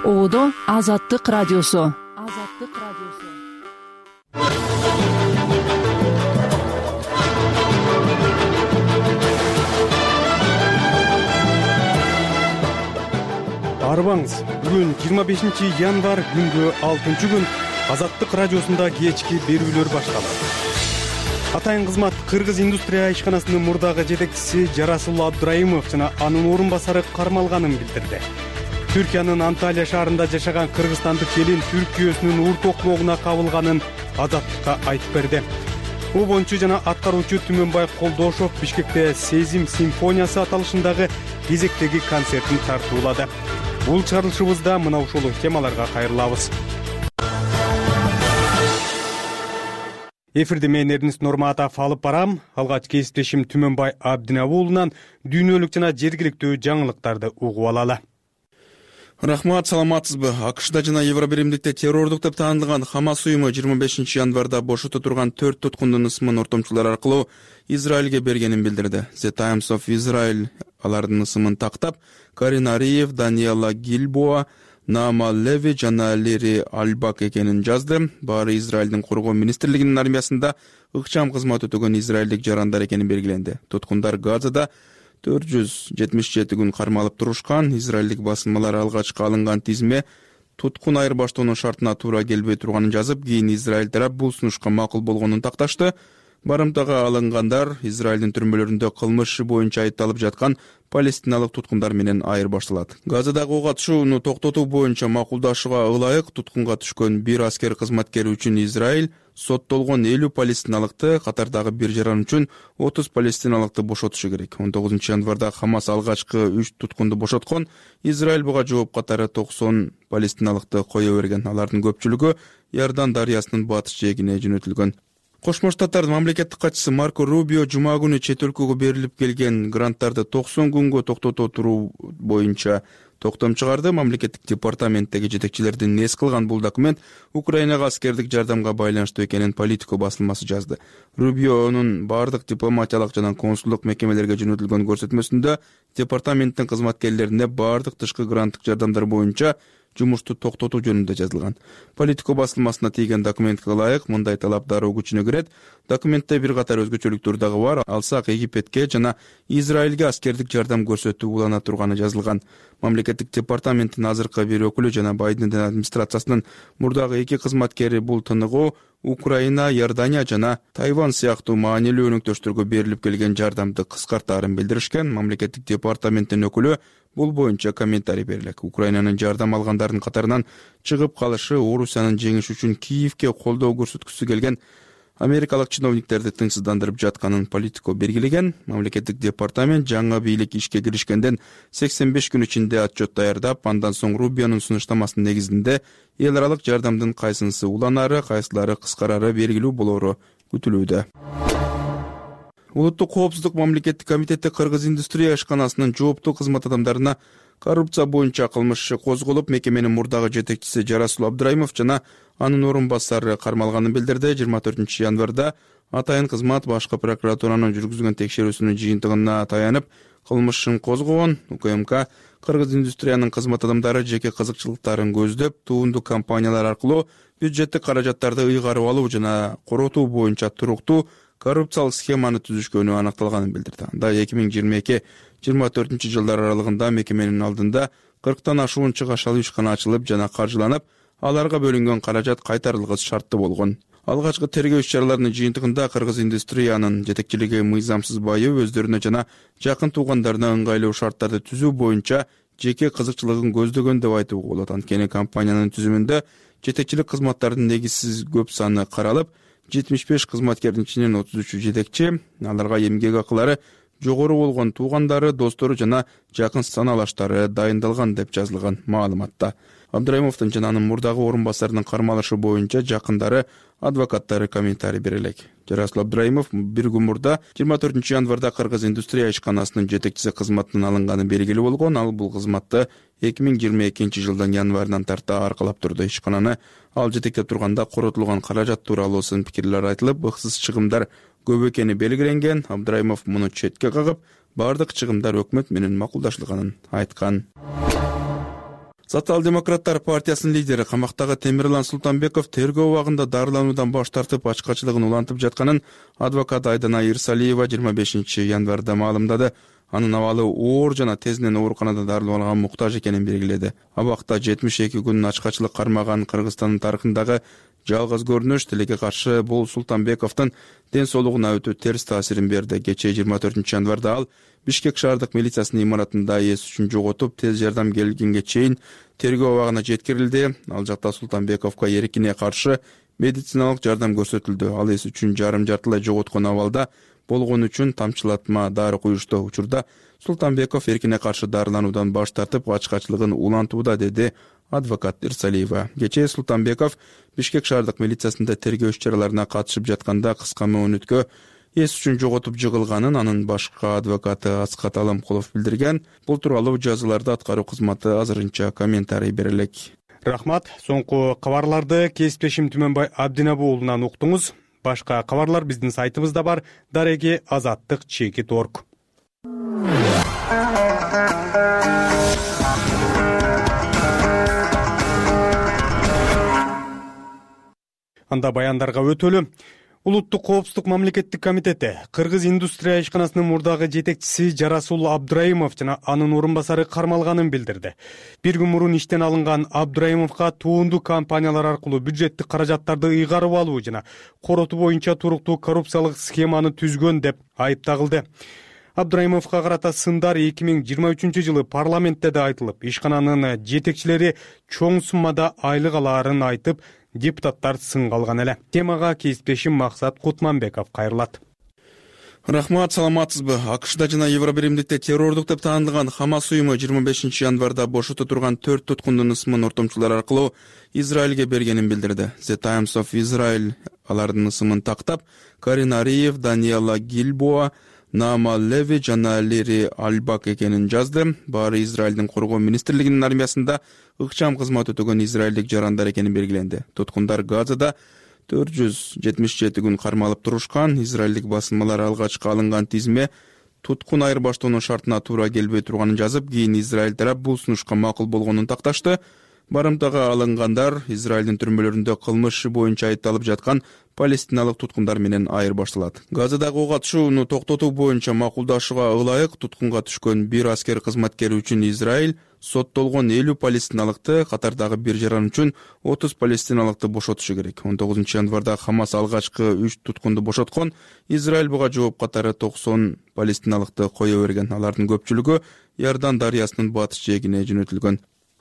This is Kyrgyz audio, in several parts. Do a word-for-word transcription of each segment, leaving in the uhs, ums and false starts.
Оодо Азаттык радиосу. Азаттык радиосу. Арбаңыз, бүгүн жыйырма бешинчи январь күнгө алтынчы күн Азаттык радиосунда кечки берүүлөр башталат. Атайын кызмат Кыргыз индустрия ишканасынын мурдагы жетекчиси Жарасул Абдраимов жана анын орун басары кармалганын билдирди. Түркиянын Анталия шаарында жашаган кыргызстандык келин Түркиөсүнүн урт окмогуна кабылганын Азаттыкка айтып берди. Обончу жана аткаруучу Түмөнбай Колдошов Бишкекте Сезим симфониясы аталышындагы кезектеги концертин тартуулады. Бул чыгарылышыбызда мына ушул темаларга кайрылабыз. Эфирде мен Эрнест Норматов алып барам. Алгач кесиптешим Түмөнбай Абдинабы уулунан дүйнөлүк жана жергиликтүү жаңылыктарды угуп алалы. Рахмат, саламатсызбы? АКШда жана Евробиримдикте террордук деп таанылган Хамас уюму жыйырма бешинчи январда бошото турган төрт туткундун ысымын ортомчулар аркылуу Израилге бергенин билдирди. The Times of Israel алардын ысымын тактап, Карин Ариев, Даниэла Гильбоа, Наама Леви жана Лери Альбак экенин жазды. Баары Израилдин коргоо министрлигинин армиясында ыкчам кызмат өтөгөн израилдик жарандар экени белгиленди. Туткундар Газада төрт жүз жетимиш жети күн кармалып турушкан. Израилдик басылмалар алгачкы алынган тизме туткун айырбаштоонун шартына туура келбей турганын жазып, кийин Израиль тарап бул сунушка макул болгонун такташты. Барымтага алынгандар Израилдин түрмөлөрүндө кылмыш иши боюнча айыпталып жаткан палестиналык туткундар менен айырбашталат. Газадагы ок атышууну токтотуу боюнча макулдашууга ылайык туткунга түшкөн бир аскер кызматкери үчүн Израиль соттолгон элүү палестиналыкты, катардагы бир жаран үчүн отуз палестиналыкты бошотушу керек. он тогузунчу январда Хамас алгачкы үч туткунду бошоткон. Израиль буга жооп катары токсон палестиналыкты кое берген. Алардын көпчүлүгү Иордан дарыясынын батыш жээгине жөнөтүлгөн. Кошмо Штаттардын мамлекеттик катчысы Марко Рубио жума күнү чет өлкөгө берилип келген гранттарды токсон күнгө токтото туруу боюнча токтом чыгарды. Мамлекеттик департаменттеги жетекчилердин эс кылган бул документ Украинага аскердик жардамга байланыштуу экенин Политико басылмасы жазды. Рубионун бардык дипломатиялык жана консулдук мекемелерге жөнөтүлгөн көрсөтмөсүндө департаменттин кызматкерлерине бардык тышкы гранттык жардамдар боюнча жумушту токтотуу жөнүндө жазылган. Политико басылмасына тийген документке ылайык мындай талап дароо күчүнө кирет. Документте бир катар өзгөчөлүктөр дагы бар. Алсак Египетке жана Израилге аскердик жардам көрсөтүү улана турганы жазылган. Мамлекеттик департаменттин азыркы бир өкүлү жана Байдендин администрациясынын мурдагы эки кызматкери бул тыныгуу Украина, Иордания жана Тайвань сыяктуу маанилүү өнөктөштөргө берилип келген жардамды кыскартаарын билдиришкен. Мамлекеттик департаменттин өкүлү бул боюнча комментарий берилек. Украинанын жардам алгандардын катарынан чыгып калышы Орусиянын жеңиши үчүн Киевке колдоо көрсөткүсү келген америкалык чиновниктерди тынчсыздандырып жатканын Политико белгилеген. Мамлекеттик департамент жаңы бийлик ишке киришкенден сексен беш күн ичинде отчет даярдап, андан соң Рубионун сунуштамасынын негизинде эл аралык жардамдын кайсынысы уланары, кайсылары кыскарары белгилүү болору күтүлүүдө. Улуттук коопсуздук мамлекеттик комитети Кыргыз индустрия ишканасынын жооптуу кызмат адамдарына коррупция боюнча кылмыш иши козголуп, мекеменин мурдагы жетекчиси Жарасул Абдраимов жана анын орун басары кармалганын билдирди. жыйырма төртүнчү январда атайын кызмат башкы прокуратуранын жүргүзгөн текшерүүсүнүн жыйынтыгына таянып кылмыш ишин козгогон. УКМК Кыргыз индустриянын кызмат адамдары жеке кызыкчылыктарын көздөп, туунду компаниялар аркылуу бюджеттик каражаттарды ыйгарып алуу жана коротуу боюнча туруктуу коррупциялык схеманы түзүшкөнү аныкталганын билдирди. Анда эки миң жыйырма эки жыйырма төртүнчү жылдар аралыгында мекеменин алдында кырктан ашуун чыгашалуу ишкана ачылып жана каржыланып, аларга бөлүнгөн каражат кайтарылгыс шарттуу болгон. Алгачкы тергөө иш-чараларынын жыйынтыгында Кыргыз индустриянын жетекчилиги мыйзамсыз байып, өздөрүнө жана жакын туугандарына ыңгайлуу шарттарды түзүү боюнча жеке кызыкчылыгын көздөгөн деп айтууга болот. Анткени компаниянын түзүмүндө жетекчилик кызматтардын негизсиз көп саны каралып, жетимиш беш кызматкердин ичинен отуз үчү жетекчи, аларга эмгек акылары жогору болгон туугандары, достору жана жакын саналаштары дайындалган деп жазылган маалыматта. Абдраимовдун жана анын мурдагы орун басарынын кармалышы боюнча жакындары, адвокаттары комментарий берелек. Жарасул Абдраимов бир күн мурда жыйырма төртүнчү январда Кыргыз индустрия ишканасынын жетекчиси кызматынан алынганы белгилүү болгон. Ал бул кызматты эки миң жыйырма экинчи жылдын январынан тарта аркалап турду. Ишкананы ал жетектеп турганда коротулган каражат тууралуу сын пикирлер айтылып, ыксыз чыгымдар көп экени белгиленген. Абдраимов муну четке кагып, бардык чыгымдар өкмөт менен макулдашылганын айткан. Социал-демократтар партиясынын лидери камактагы Темирлан Султанбеков тергөө убагында дарылануудан баш тартып ачкачылыгын улантып жатканын адвокат Айдана Ирсалиева жыйырма бешинчи январда маалымдады. Анын абалы оор жана тезинен ооруканада дарыланууга муктаж экенин белгиледи. Абакта жетимиш эки күн ачкачылык кармаган Кыргызстандын тарыхындагы жалгыз көрүнүш. Тилекке каршы бул Султанбековдун ден соолугуна өтө терс таасирин берди. Кечээ жыйырма төртүнчү январда ал Бишкек шаардык милициясынын имаратында эс үчүн жоготуп, тез жардам келгенге чейин тергөө абагына жеткирилди. Ал жакта Султанбековго эркине каршы медициналык жардам көрсөтүлдү. Ал эс үчүн жарым жартылай жоготкон абалда болгон үчүн тамчылатма дары куюшту. Учурда Султанбеков эркине каршы дарылануудан баш тартып, ачкачылыгын улантууда, деди адвокат Ирсалиева. Кечээ Султанбеков Бишкек шаардык милициясында тергөө иш-чараларына катышып жатканда кыска мөөнөткө эс үчүн жоготуп жыгылганын анын башкы адвокаты Аскат Аламкулов билдирген. Бул тууралуу жазууларда аткаруу кызматы азырынча комментарий бере элек. Рахмат. Соңку кабарларды кесиптешим Түмөнбай Абдинабы уулунан уктуңуз. Башка кабарлар биздин сайтыбызда бар. Дареги азаттык чекит орг. Анда баяндарга өтөлү. Улуттук коопсуздук мамлекеттик комитети Кыргыз индустрия ишканасынын мурдагы жетекчиси Жарасул Абдраимов жана анын орун басары кармалганын билдирди. Бир күн мурун иштен алынган Абдраимовго туунду компаниялар аркылуу бюджеттик каражаттарды ыйгарып алуу жана коротуу боюнча туруктуу коррупциялык схеманы түзгөн деп айып тагылды. Абдраимовго карата сындар эки миң жыйырма үчүнчү жылы парламентте да айтылып, ишкананын жетекчилери чоң суммада айлык алаарын айтып, депутаттар сынга алган эле. Темага кесиптешим Максат Кутманбеков кайрылат. Рахмат, саламатсызбы? АКШда жана Евробиримдикте террордук деп таандалган Хамас уюму жыйырма бешинчи январда бошото турган төрт туткундун ысымын ортомчулар аркылуу Израилге бергенин билдирди. The Times of Israel алардын ысымын тактап, Карин Ариев, Даниэла Гильбоа, Нама Леви жана Лири Альбак экенин жазды. Баары Израилдин коргоо министрлигинин армиясында ыкчам кызмат өтөгөн израилдик жарандар экени белгиленди. Туткундар Газада төрт жүз жетимиш жети күн кармалып турушкан. Израилдик басылмалар алгачкы алынган тизме туткун айырбаштоонун шартына туура келбей турганын жазып, кийин Израиль тарап бул сунушка макул болгонун такташты. Барымтага алынгандар Израилдин түрмөлөрүндө кылмыш боюнча айыпталып жаткан палестиналык туткундар менен айырбашталат. Газадагы ок атышууну токтотуу боюнча макулдашууга ылайык туткунга түшкөн бир аскер кызматкери үчүн Израиль соттолгон элүү палестиналыкты, катардагы бир жаран үчүн отуз палестиналыкты бошотушу керек. он тогузунчу январда Хамас алгачкы үч туткунду бошоткон. Израиль буга жооп катары токсон палестиналыкты кое берген. Алардын көпчүлүгү Иордан дарыясынын батыш жээгине жөнөтүлгөн.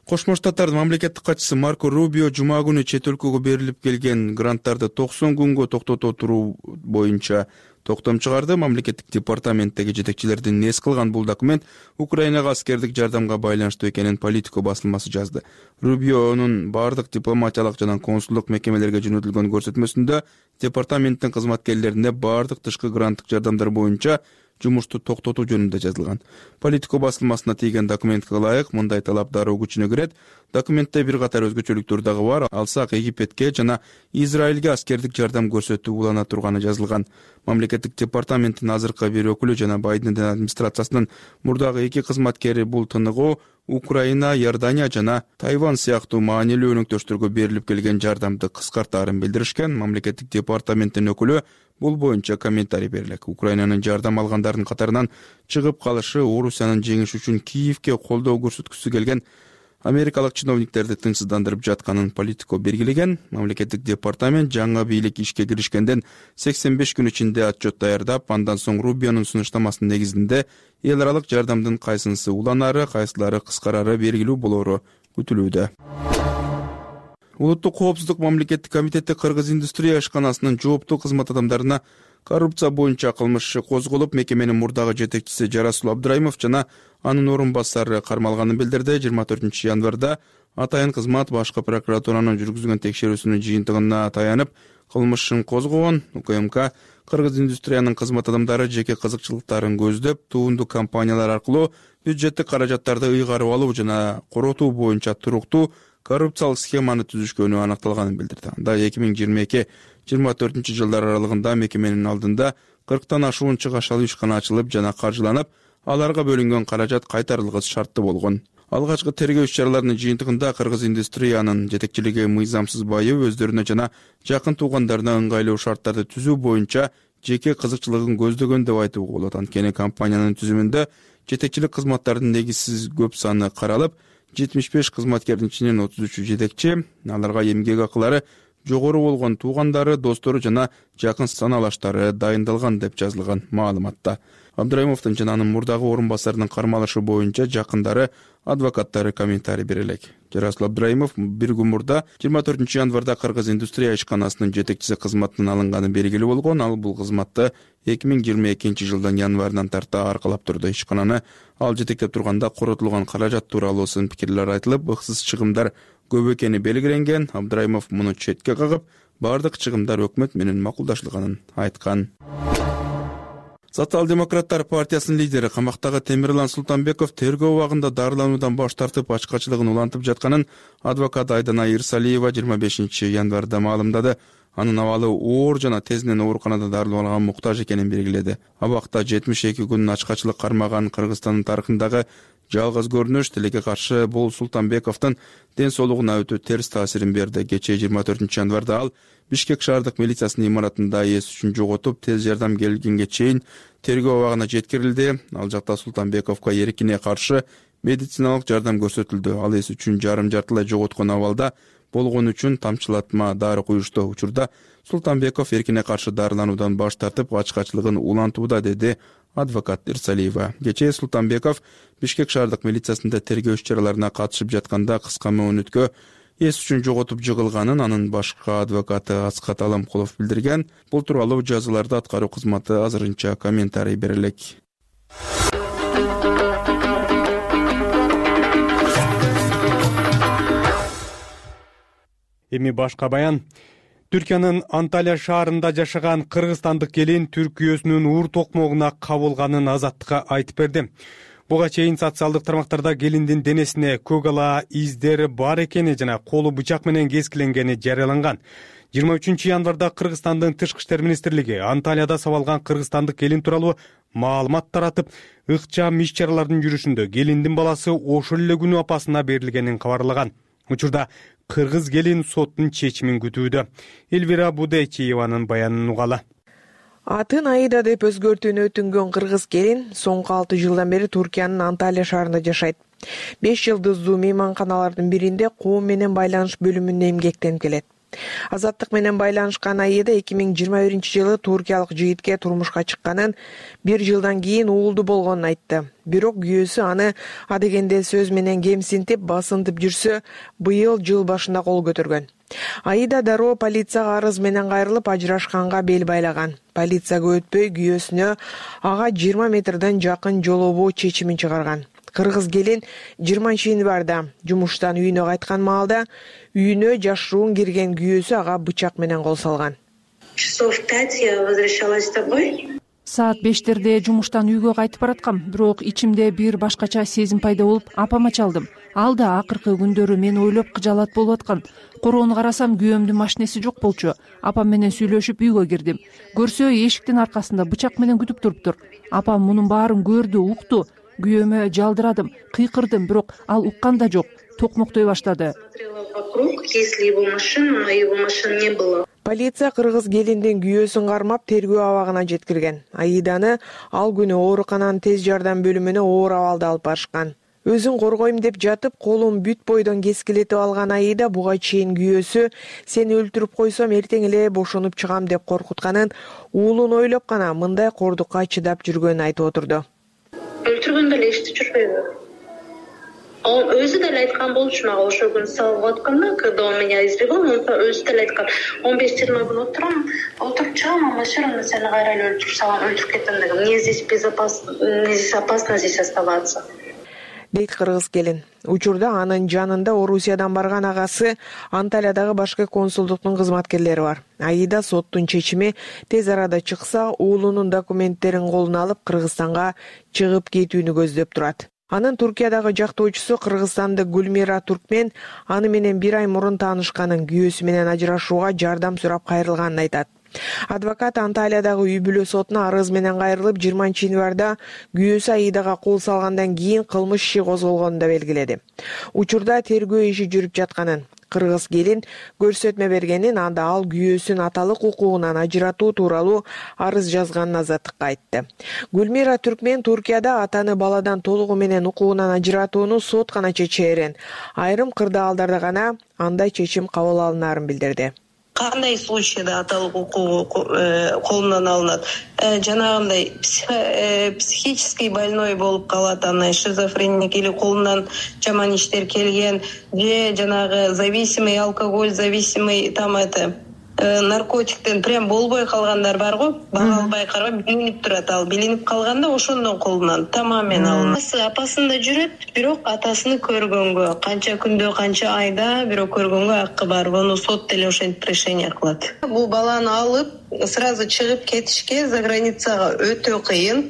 Кошмо Штаттардын мамлекеттик катчысы Марко Рубио жума күнү чет өлкөгө берилип келген гранттарды токсон күнгө токтото туруу боюнча токтом чыгарды. Мамлекеттик департаменттеги жетекчилердин эс кылган бул документ Украинага аскердик жардамга байланыштуу экенин Политико басылмасы жазды. Рубионун бардык дипломатиялык жана консулдук мекемелерге жөнөтүлгөн көрсөтмөсүндө департаменттин кызматкерлерине бардык тышкы гранттык жардамдар боюнча жумушту токтотуу жөнүндө жазылган. Политико басылмасына тийген документке ылайык мындай талап дароо күчүнө кирет. Документте бир катар өзгөчөлүктөр дагы бар. Алсак Египетке жана Израилге аскердик жардам көрсөтүү улана турганы жазылган. Мамлекеттик департаменттин азыркы бир өкүлү жана Байдендин администрациясынын мурдагы эки кызматкери бул тыныгуу Украина, Иордания жана Тайвань сыяктуу маанилүү өнөктөштөргө берилип келген жардамды кыскартаарын билдиришкен. Мамлекеттик департаменттин өкүлү бул боюнча комментарий берилек. Украинанын жардам алгандардын катарынан чыгып калышы Орусиянын жеңиш үчүн Киевке колдоо көрсөткүсү келген америкалык чиновниктерди тынчсыздандырып жатканын Политико белгилеген. Мамлекеттик департамент жаңы бийлик ишке киришкенден сексен беш күн ичинде отчет даярдап, андан соң Рубионун сунуштамасынын негизинде эл аралык жардамдын кайсынысы уланары, кайсылары кыскарары белгилүү болору күтүлүүдө. Улуттук коопсуздук мамлекеттик комитети Кыргыз индустрия ишканасынын жооптуу кызмат адамдарына коррупция боюнча кылмыш козголуп, мекеменин мурдагы жетекчиси Жарасул Абдраимов жана анын орун басары кармалганын билдирди. жыйырма төртүнчү январда атайын кызмат башкы прокуратуранын жүргүзгөн текшерүүсүнүн жыйынтыгына таянып кылмышын козгогон. УКМК Кыргыз индустриянын кызмат адамдары жеке кызыкчылыктарын көздөп, туунду компаниялар аркылуу бюджеттик каражаттарды ыйгарып алуу жана коротуу боюнча туруктуу коррупциялык схеманы түзүшкөнү аныкталганын билдирди. Анда эки миң жыйырма эки жыйырма төртүнчү жылдар аралыгында мекеменин алдында кырктан ашуун чыгашалы ишкана ачылып жана каржыланып, аларга бөлүнгөн каражат кайтарылгыс шарттуу болгон. Алгачкы тергөө иш-чараларынын жыйынтыгында кыргыз индустриянын жетекчилиги мыйзамсыз байып өздөрүнө жана жакын туугандарына ыңгайлуу шарттарды түзүү боюнча жеке кызыкчылыгын көздөгөн деп айтууга болот. Анткени компаниянын түзүмүндө жетекчилик кызматтардын негизсиз көп саны каралып, жетимиш беш кызматкердин ичинен отуз үчү жетекчи, аларга эмгек акылары жогору болгон туугандары, достору жана жакын саналаштары дайындалган деп жазылган маалыматта. Абдрайымовдун жана анын мурдагы орун басарынын кармалышы боюнча жакындары, адвокаттары комментарий бере элек. Жарасыл Абдрайымов бир күн мурда жыйырма төртүнчү январда Кыргыз индустрия ишканасынын жетекчиси кызматынан алынганы белгилүү болгон. Ал бул кызматты эки миң жыйырма экинчи жылдын январынан тарта аркалап турду. Ишкананы ал жетектеп турганда коротулган каражат тууралуу сын пикирлер айтылып, ыксыз чыгымдар көп экени белгиленген. Абдрайымов муну четке кагып, бардык чыгымдар өкмөт менен макулдашылганын айткан. Социал-демократтар партиясынын лидери камактагы Темирлан Султанбеков тергөө убагында дарылануудан баш тартып, ачкачылыгын улантып жатканын адвокат Айдана Ирсалиева жыйырма бешинчи январда маалымдады. Анын абалы оор жана тезинен ооруканада дарыланууга муктаж экенин белгиледи. Абакта жетимиш эки күн ачкачылык кармаган Кыргызстандын тарыхындагы жалгыз көрүнүш тилекке каршы бул Султанбековдун ден соолугуна өтө терс таасирин берди. Кечээ жыйырма төртүнчү январда ал Бишкек шаардык милициясынын имаратында эс үчүн жоготуп, тез жардам келгенге чейин тергөө абагына жеткирилди. Ал жакта Султанбековго эркине каршы медициналык жардам көрсөтүлдү. Ал эс үчүн жарым жартылай жоготкон абалда болгон үчүн тамчылатма дары куюшту. Учурда Султанбеков эркине каршы дарылануудан баш тартып, ачкачылыгын улантууда, деди адвокат Ирсалиева. Кечээ Султанбеков Бишкек шаардык милициясында тергөө иш-чараларына катышып жатканда кыска мөөнөткө эс үчүн жоготуп жыгылганын анын башкы адвокаты Аскат Аламкулов билдирген. Бул тууралуу жазыларда аткаруу кызматы азырынча комментарий бере элек. Эми башка баян. Түркиянын Анталия шаарында жашаган кыргызстандык келин түрк күйөөсүнүн уур токмогуна кабылганын Азаттыкка айтып берди. Буга чейин социалдык тармактарда келиндин денесине көк ала издери бар экени жана колу бычак менен кескиленгени жарыяланган. жыйырма үчүнчү январда Кыргызстандын Тышкы иштер министрлиги Анталияда сабалган кыргызстандык келин тууралуу маалымат таратып, ыкчам иш-чаралардын жүрүшүндө келиндин баласы ошол эле күнү апасына берилгенин кабарлаган. Учурда кыргыз келин соттун чечимин күтүүдө. Элвира Будайчиеванын баянын угалы. Атын Аида деп өзгөртүүнү өтүнгөн кыргыз келин соңку алты жылдан бери Туркиянын Анталия шаарында жашайт. беш жылдыздуу мейманканалардын биринде коом менен байланыш бөлүмүндө эмгектенип келет. Азаттык менен байланышкан Аида эки миң жыйырма биринчи жылы туркиялык жигитке турмушка чыкканын, бир жылдан кийин уулду болгонун айтты. Бирок күйөөсү аны адегенде сөз менен кемсинтип, басынтып жүрсө, быйыл жыл башында кол көтөргөн. Аида дароо полицияга арыз менен кайрылып, ажырашканга бел байлаган. Полицияга өтпөй күйөөсүнө ага жыйырма метрден жакын жолобоо чечимин чыгарган. Кыргыз келин жыйырманчы январда жумуштан үйүнө кайткан маалда үйүнө жашыруун кирген күйөөсү ага бычак менен кол салган. Часов пять я возвращалась домой. Саат бештерде жумуштан үйгө кайтып бараткам, бирок ичимде бир башкача сезим пайда болуп, апама чалдым. Ал да акыркы күндөрү мени ойлоп кыжалат болуп аткан. Короону карасам, күйөөмдүн машинеси жок болчу. Апам менен сүйлөшүп үйгө кирдим. Көрсө, эшиктин аркасында бычак менен күтүп туруптур. Апам мунун баарын көрдү, укту. Күйөөмө жалдырадым, кыйкырдым, бирок ал уккан да жок. Токмоктой баштады. Полиция кыргыз келиндин күйөөсүн кармап тергөө абагына жеткирген. Аиданы ал күнү оорукананын тез жардам бөлүмүнө оор абалда алып барышкан. Өзүн коргойм деп жатып, колун бүт бойдон кескилетип алган Аида буга чейин күйөөсү сени өлтүрүп койсом эртең эле бошонуп чыгам деп коркутканын, уулун ойлоп гана мындай кордукка чыдап жүргөнүн айтып отурду. Өлтүргөндө эле эчтеп жүрбөйбү. Он өзү деле айткан болчу мага ошол күнү салып атканда, когда он меня избивал, он өзү деле айткан. он беш жыйырма күн отурам, отуруп чыгам, а машинаны сени кайра эле өлтүрүп салам, өлтүрүп кетем деген. Мне здесь безопасно, мне здесь опасно здесь оставаться. Дейт кыргыз келин. Учурда анын жанында Орусиядан барган агасы, Анталиядагы башкы консулдуктун кызматкерлери бар. Аида соттун чечими тез арада чыкса, уулунун документтерин колуна алып Кыргызстанга чыгып кетүүнү көздөп турат. Анын Туркиядагы жактоочусу кыргызстандык Гүлмира Туркмен аны менен бир ай мурун таанышканын, күйөөсү менен ажырашууга жардам сурап кайрылганын айтат. Адвокат Анталиядагы үй бүлө сотуна арыз менен кайрылып, жыйырманчы январда күйөөсү Аидага кол салгандан кийин кылмыш иши козголгонун да белгиледи. Учурда тергөө иши жүрүп жатканын, кыргыз келин көрсөтмө бергенин, анда ал күйөөсүн аталык укугунан ажыратуу тууралуу арыз жазганын Азаттыкка айтты. Гүлмира Түркмен Туркияда атаны баладан толугу менен укугунан ажыратууну сот гана чечээрин, айрым кырдаалдарда гана андай чечим кабыл алынаарын билдирди. Кандай случайда аталык укугу колунан алынат? Жанагындай психический больной болуп калат, анан шизофреник или колунан жаман иштер келген, же жанагы зависимый, алкоголь зависимый, там это наркотиктен прям болбой калгандар бар го, бага албай карап билинип турат, ал билинип калганда ошондон колунан тамамен алынат. Апасында жүрөт, бирок атасын көргөнгө, канча күндө, канча айда бирок көргөнгө акы бар. Буну сот деле ошентип решение кылат. Бул баланы алып, сразу чыгып кетишке за границага өтө кыйын.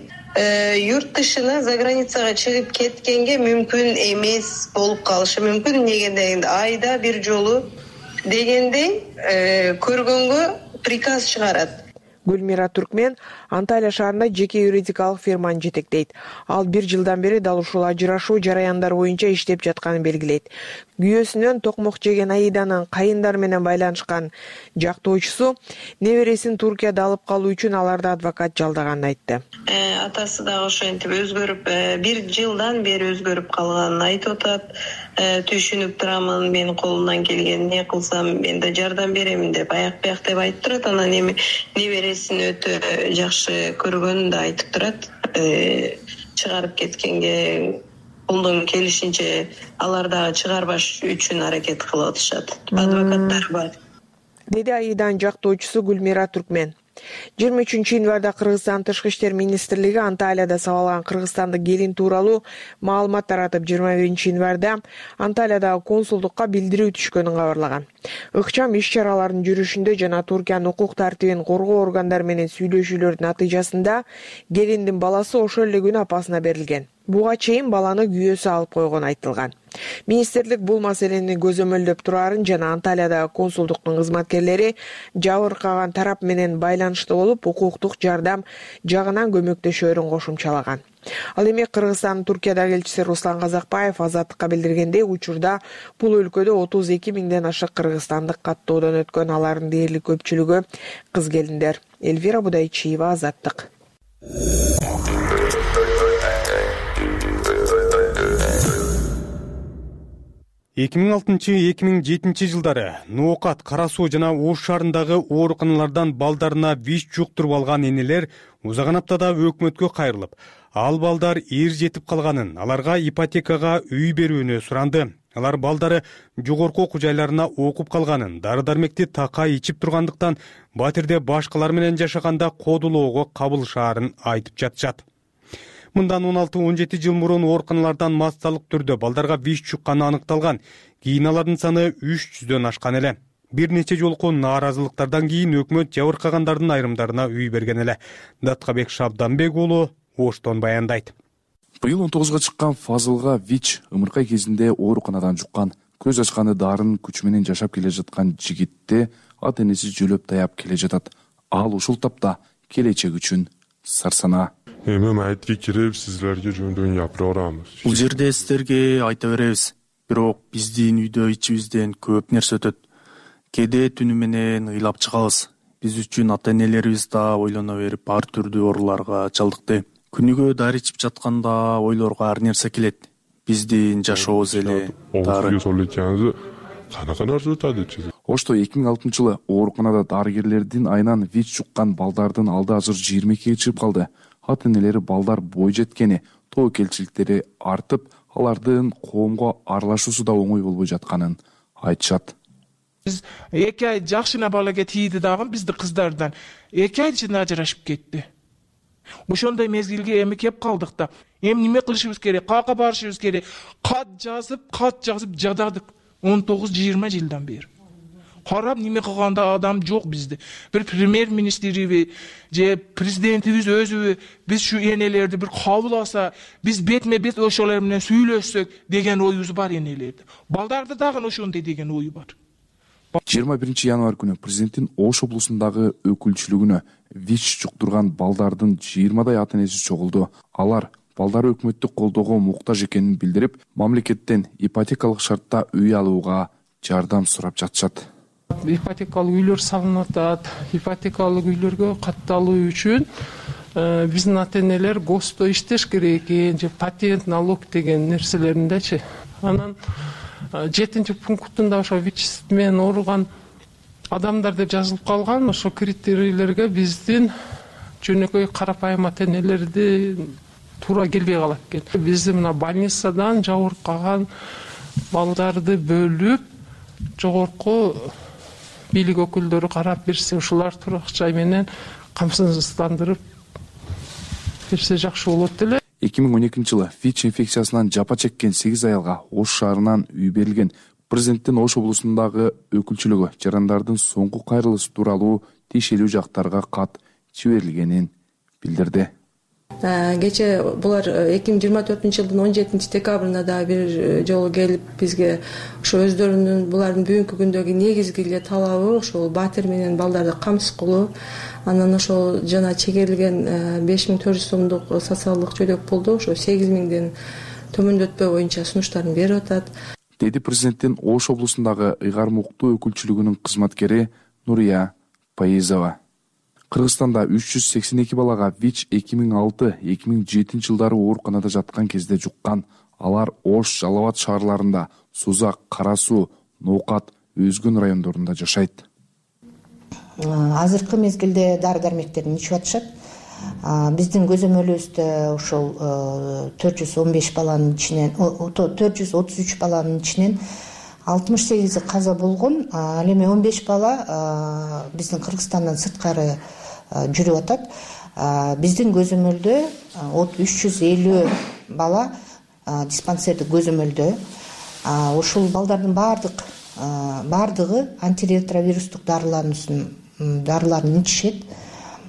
Юрт тышына за границага чыгып кеткенге мүмкүн эмес болуп калышы мүмкүн. Неге дегенде айда бир жолу дегендей көргөнгө приказ чыгарат. Гүлмира Түркмен Анталия шаарында жеке юридикалык фирманы жетектейт. Ал бир жылдан бери дал ушул ажырашуу жараяндары боюнча иштеп жатканын белгилейт. Күйөөсүнөн токмок жеген Аиданын кайындар менен байланышкан жактоочусу небересин Туркияда алып калуу үчүн аларды адвокат жалдаганын айтты. Атасы дагы ошентип өзгөрүп, бир жылдан бери өзгөрүп калганын айтып атат. Түшүнүп турамын, менин колумдан келген не кылсам мен да жардам беремин деп аяк бияк деп айтып турат. Анан эми небересин өтө жакшы көргөнүн да айтып турат. Чыгарып кеткенге колдон келишинче алар дагы чыгарбаш үчүн аракет кылып атышат. Адвокаттар бар. Деди Аиданын жактоочусу Гүлмира Түркмен. жыйырма үчүнчү январда Кыргызстан Тышкы иштер министрлиги Анталияда сабалган кыргызстандык келин тууралуу маалымат таратып, жыйырма биринчи январда Анталиядагы консулдукка билдирүү түшкөнүн кабарлаган. Ыкчам иш-чаралардын жүрүшүндө жана Туркиянын укук тартибин коргоо органдары менен сүйлөшүүлөрдүн натыйжасында келиндин баласы ошол эле күнү апасына берилген. Буга чейин баланы күйөөсү алып койгону айтылган. Министрлик бул маселени көзөмөлдөп турарын жана Анталиядагы консулдуктун кызматкерлери жабыркаган тарап менен байланышта болуп, укуктук жардам жагынан көмөктөшөөрүн кошумчалаган. Ал эми Кыргызстандын Туркиядагы элчиси Руслан Казакбаев Азаттыкка билдиргендей, учурда бул өлкөдө отуз эки миңден ашык кыргызстандык каттоодон өткөн, алардын дээрлик көпчүлүгү кыз келиндер. Эльвира Будайчиева, Азаттык. эки миң алтынчы — эки миң жетинчи жылдары Ноокат, Кара Суу жана Ош шаарындагы ооруканалардан балдарына ВИЧ жуктуруп алган энелер узаган аптада өкмөткө кайрылып, ал балдар эр жетип калганын, аларга ипотекага үй берүүнү суранды. Алар балдары жогорку окуу жайларына окуп калганын, дары-дармекти такай ичип тургандыктан батирде башкалар менен жашаганда кодулоого кабылышаарын айтып жатышат. Мындан он алты — он жети жыл мурун ооруканалардан массалык түрдө балдарга ВИЧ жукканы аныкталган. Кийин алардын саны үч жүздөн ашкан эле. Бир нече жолку нааразылыктардан кийин өкмөт жабыркагандардын айрымдарына үй берген эле. Даткабек Шабданбек уулу Оштон баяндайт. Быйыл он тогузга чыккан Фазылга ВИЧ ымыркай кезинде ооруканадан жуккан. Көз ачканы дарын күч менен жашап келе жаткан жигитте ата энеси жөлөп таяп келе жатат. Ал ушул тапта келечек үчүн сарсанаа. Эми майтке кирип сизлерге жөндөн япыра барабыз. Бул жерде сиздерге айта беребиз. Бирок биздин үйдө ичибизден көп нерсе өтөт. Кээде түнү менен ыйлап чыгабыз. Биз үчүн ата энелерибиз да ойлоно берип ар түрдүү ооруларга чалдыкты. Күнүгө дары ичип жатканда ойлорго ар нерсе келет. Биздин жашообуз эле дары. Канака нерсе өтөдү. Ошто эки миң алтынчы жылы ооруканада дарыгерлердин айынан ВИЧ жуккан балдардын алды азыр жыйырма экиге чыгып калды. Ата энелери балдар бой жеткени, тобокелчиликтери артып, алардын коомго аралашуусу да оңой болбой жатканын айтышат. Биз эки ай жакшына балага тийди дагы бизди кыздардан эки ай ичинде ажырашып кетти. Ошондой мезгилге эми кеп калдык да. Эми неме кылышыбыз керек? Кака барышыбыз керек? Кат жазып, кат жазып жададык он тогуз жыйырма жылдан бери. Карап неме кылганда адам жок бизде. Бир премьер-министриби же президентибиз өзүбү биз şu энелерди бир кабыл алса, биз бетме бет ошолор менен сүйлөшсөк деген оюбуз бар энелерди. Балдарды дагы ошондой деген ою бар. жыйырма биринчи январь күнү президенттин Ош облусундагы өкүлчүлүгүнө ВИЧ жуктурган балдардын жыйырмадай ата энеси чогулду. Алар балдары өкмөттүк колдоого муктаж экенин билдирип, мамлекеттен ипотекалык шартта үй алууга жардам сурап жатышат. Ипотекалык үйлөр салынып атат. Ипотекалык үйлөргө катталуу үчүн биздин ата энелер ГОСТо иштеш керек экен, же патент, налог деген нерселериндечи. Анан жетинчи пунктунда ошо ВИЧ менен ооруган адамдар деп жазылып калган. Ошо критерийлерге биздин жөнөкөй карапайым ата энелерди туура келбей калат экен. Биздин мына больницадан жабыркаган балдарды бөлүп, жогорку бийлик өкүлдөрү карап берсе, ушулар турак жай менен камсыздандырып берсе жакшы болот деле. эки миң он экинчи жылы ВИЧ инфекциясынан жапа чеккен сегиз аялга Ош шаарынан үй берилген. Президенттин Ош облусундагы өкүлчүлүгү жарандардын соңку кайрылышы тууралуу тиешелүү жактарга кат жиберилгенин билдирди. Кече булар эки миң жыйырма төртүнчү жылдын он жетинчи декабрында да бир жолу келип бизге ошо өздөрүнүн булардын бүгүнкү күндөгү негизги эле талабы ошол батир менен балдарды камсыз кылуу. Анан ошол жана чегерилген беш миң төрт жүз сомдук социалдык жөлөк пулду ошо сегиз миңден төмөндөтпөө боюнча сунуштарын берип атат, деди президенттин Ош облусундагы ыйгар муктуу өкүлчүлүгүнүн кызматкери Нурия Паизова. Кыргызстанда үч жүз сексен эки балага ВИЧ эки миң алты — эки миң жетинчи жылдары ооруканада жаткан кезде жуккан. Алар Ош, Жалал Абад шаарларында, Сузак, Кара Суу, Ноокат, Өзгөн райондорунда жашайт. Азыркы мезгилде дары дармектерин ичип атышат. Биздин көзөмөлүбүздө ошол төрт жүз он беш баланын ичинен, төрт жүз отуз үч баланын ичинен алтымыш сегизи каза болгон. Ал эми он беш бала биздин Кыргызстандан сырткары жүрүп атат. Биздин көзөмөлдө үч жүз элүү бала диспансердик көзөмөлдө. Ушул балдардын баардык баардыгы антиретровирустук дарыларын дарыларын ичишет.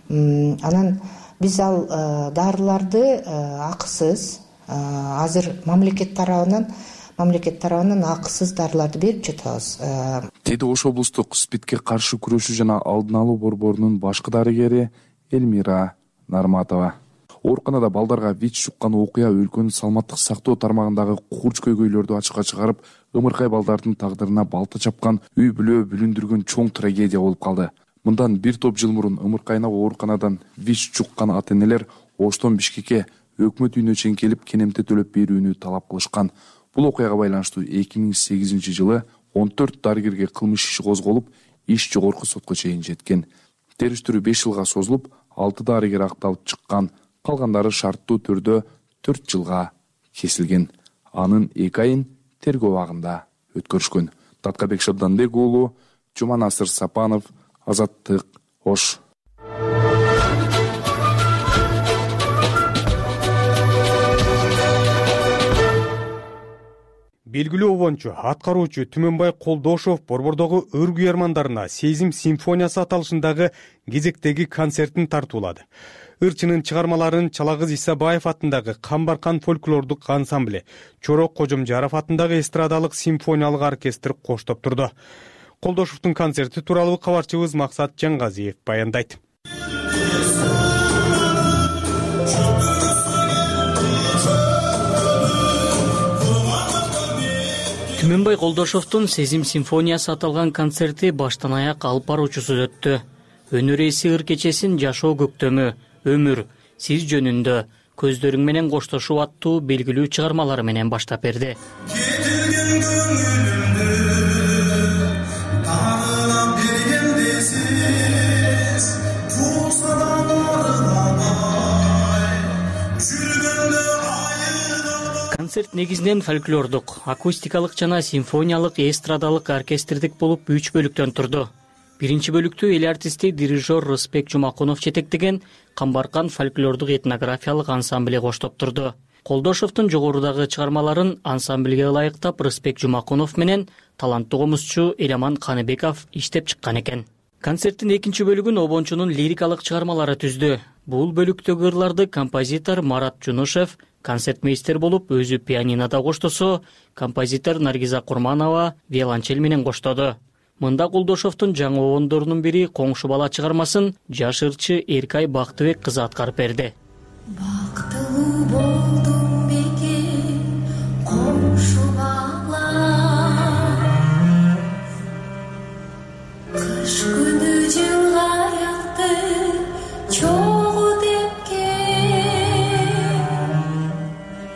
Анан биз ал дарыларды акысыз азыр мамлекет тарабынан мамлекет тарабынан акысыз дарыларды берип жатабыз. Деди Ош облустук СПИДке каршы күрөшүү жана алдын алуу борборунун башкы дарыгери Элмира Нарматова. Ооруканада балдарга ВИЧ жуккан окуя өлкөнүн саламаттык сактоо тармагындагы курч көйгөйлөрдү ачыкка чыгарып, ымыркай балдардын тагдырына балта чапкан, үй бүлө бүлүндүргөн чоң трагедия болуп калды. Мындан бир топ жыл мурун ымыркайына ооруканадан ВИЧ жуккан ата энелер Оштон Бишкекке өкмөт үйүнө чейин келип кенемте төлөп берүүнү талап кылышкан. Бул окуяга байланыштуу эки миң сегизинчи жылы он төрт дарыгерге кылмыш иши козголуп, иш жогорку сотко чейин жеткен. Териштирүү беш жылга созулуп, алты дарыгер акталып чыккан, калгандары шарттуу түрдө төрт жылга кесилген. Анын эки айын тергөө абагында өткөрүшкөн. Таткабек Шабданбек уулу, Жуманасыр Сапанов, Азаттык, Ош. Белгилүү обончу, аткаруучу Түмөнбай Колдошов борбордогу ыр куярмандарына Сезим симфониясы аталышындагы кезектеги концертин тартуулады. Ырчынын чыгармаларын Чалагыз Исабаев атындагы Камбаркан фольклордук ансамбле, Чорок Кожомжаров атындагы эстрадалык симфониялык оркестр коштоп турду. Колдошовдун концерти тууралуу кабарчыбыз Максат Жаңгазиев баяндайт. Түмөнбай Колдошовдун Сезим симфониясы аталган концерти баштан аяк алып баруучусу өттү. Өнөр ээси ыр кечесин Жашоо көктөмү, Өмүр, Сиз жөнүндө, Көздөрүң менен коштошуу аттуу белгилүү чыгармалары менен баштап берди. Концерт негизинен фольклордук, акустикалык жана симфониялык эстрадалык оркестрдик болуп үч бөлүктөн турду. Биринчи бөлүктү эл артисти дирижер Рыспек Жумакунов жетектеген Камбаркан фольклордук этнографиялык ансамбле коштоп турду. Колдошовдун жогорудагы чыгармаларын ансамблге ылайыктап Рыспек Жумакунов менен таланттуу комузчу Эламан Каныбеков иштеп чыккан экен. Концерттин экинчи бөлүгүн обончунун лирикалык чыгармалары түздү. Бул бөлүктөгү ырларды композитор Марат Жунушев концертмейстер болуп өзү пианинода коштосо, композитор Наргиза Курманова виолончель менен коштоду. Мында Колдошовдун жаңы обондорунун бири Коңшу бала чыгармасын жаш ырчы Эркай Бактыбек кызы аткарып берди. Бактылуу болдум бекем коңшу бала, кыш күнү жылгаякты чогуу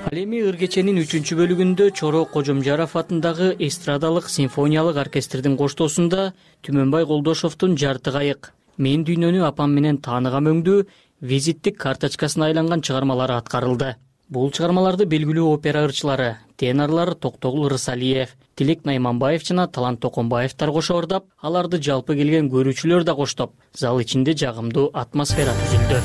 Ал эми ыр кеченин үчүнчү бөлүгүндө Чоро Кожомжаров атындагы эстрадалык симфониялык оркестрдин коштоосунда Түмөнбай Колдошовдун Жарты кайык, Мен дүйнөнү апам менен тааныгам өңдүү визиттик карточкасына айланган чыгармалары аткарылды. Бул чыгармаларды белгилүү опера ырчылары, тенорлар Токтогул Рысалиев, Тилек Найманбаев жана Талант Токонбаевдер кошо ырдап, аларды жалпы келген көрүүчүлөр да коштоп, зал ичинде жагымдуу атмосфера түзүлдү.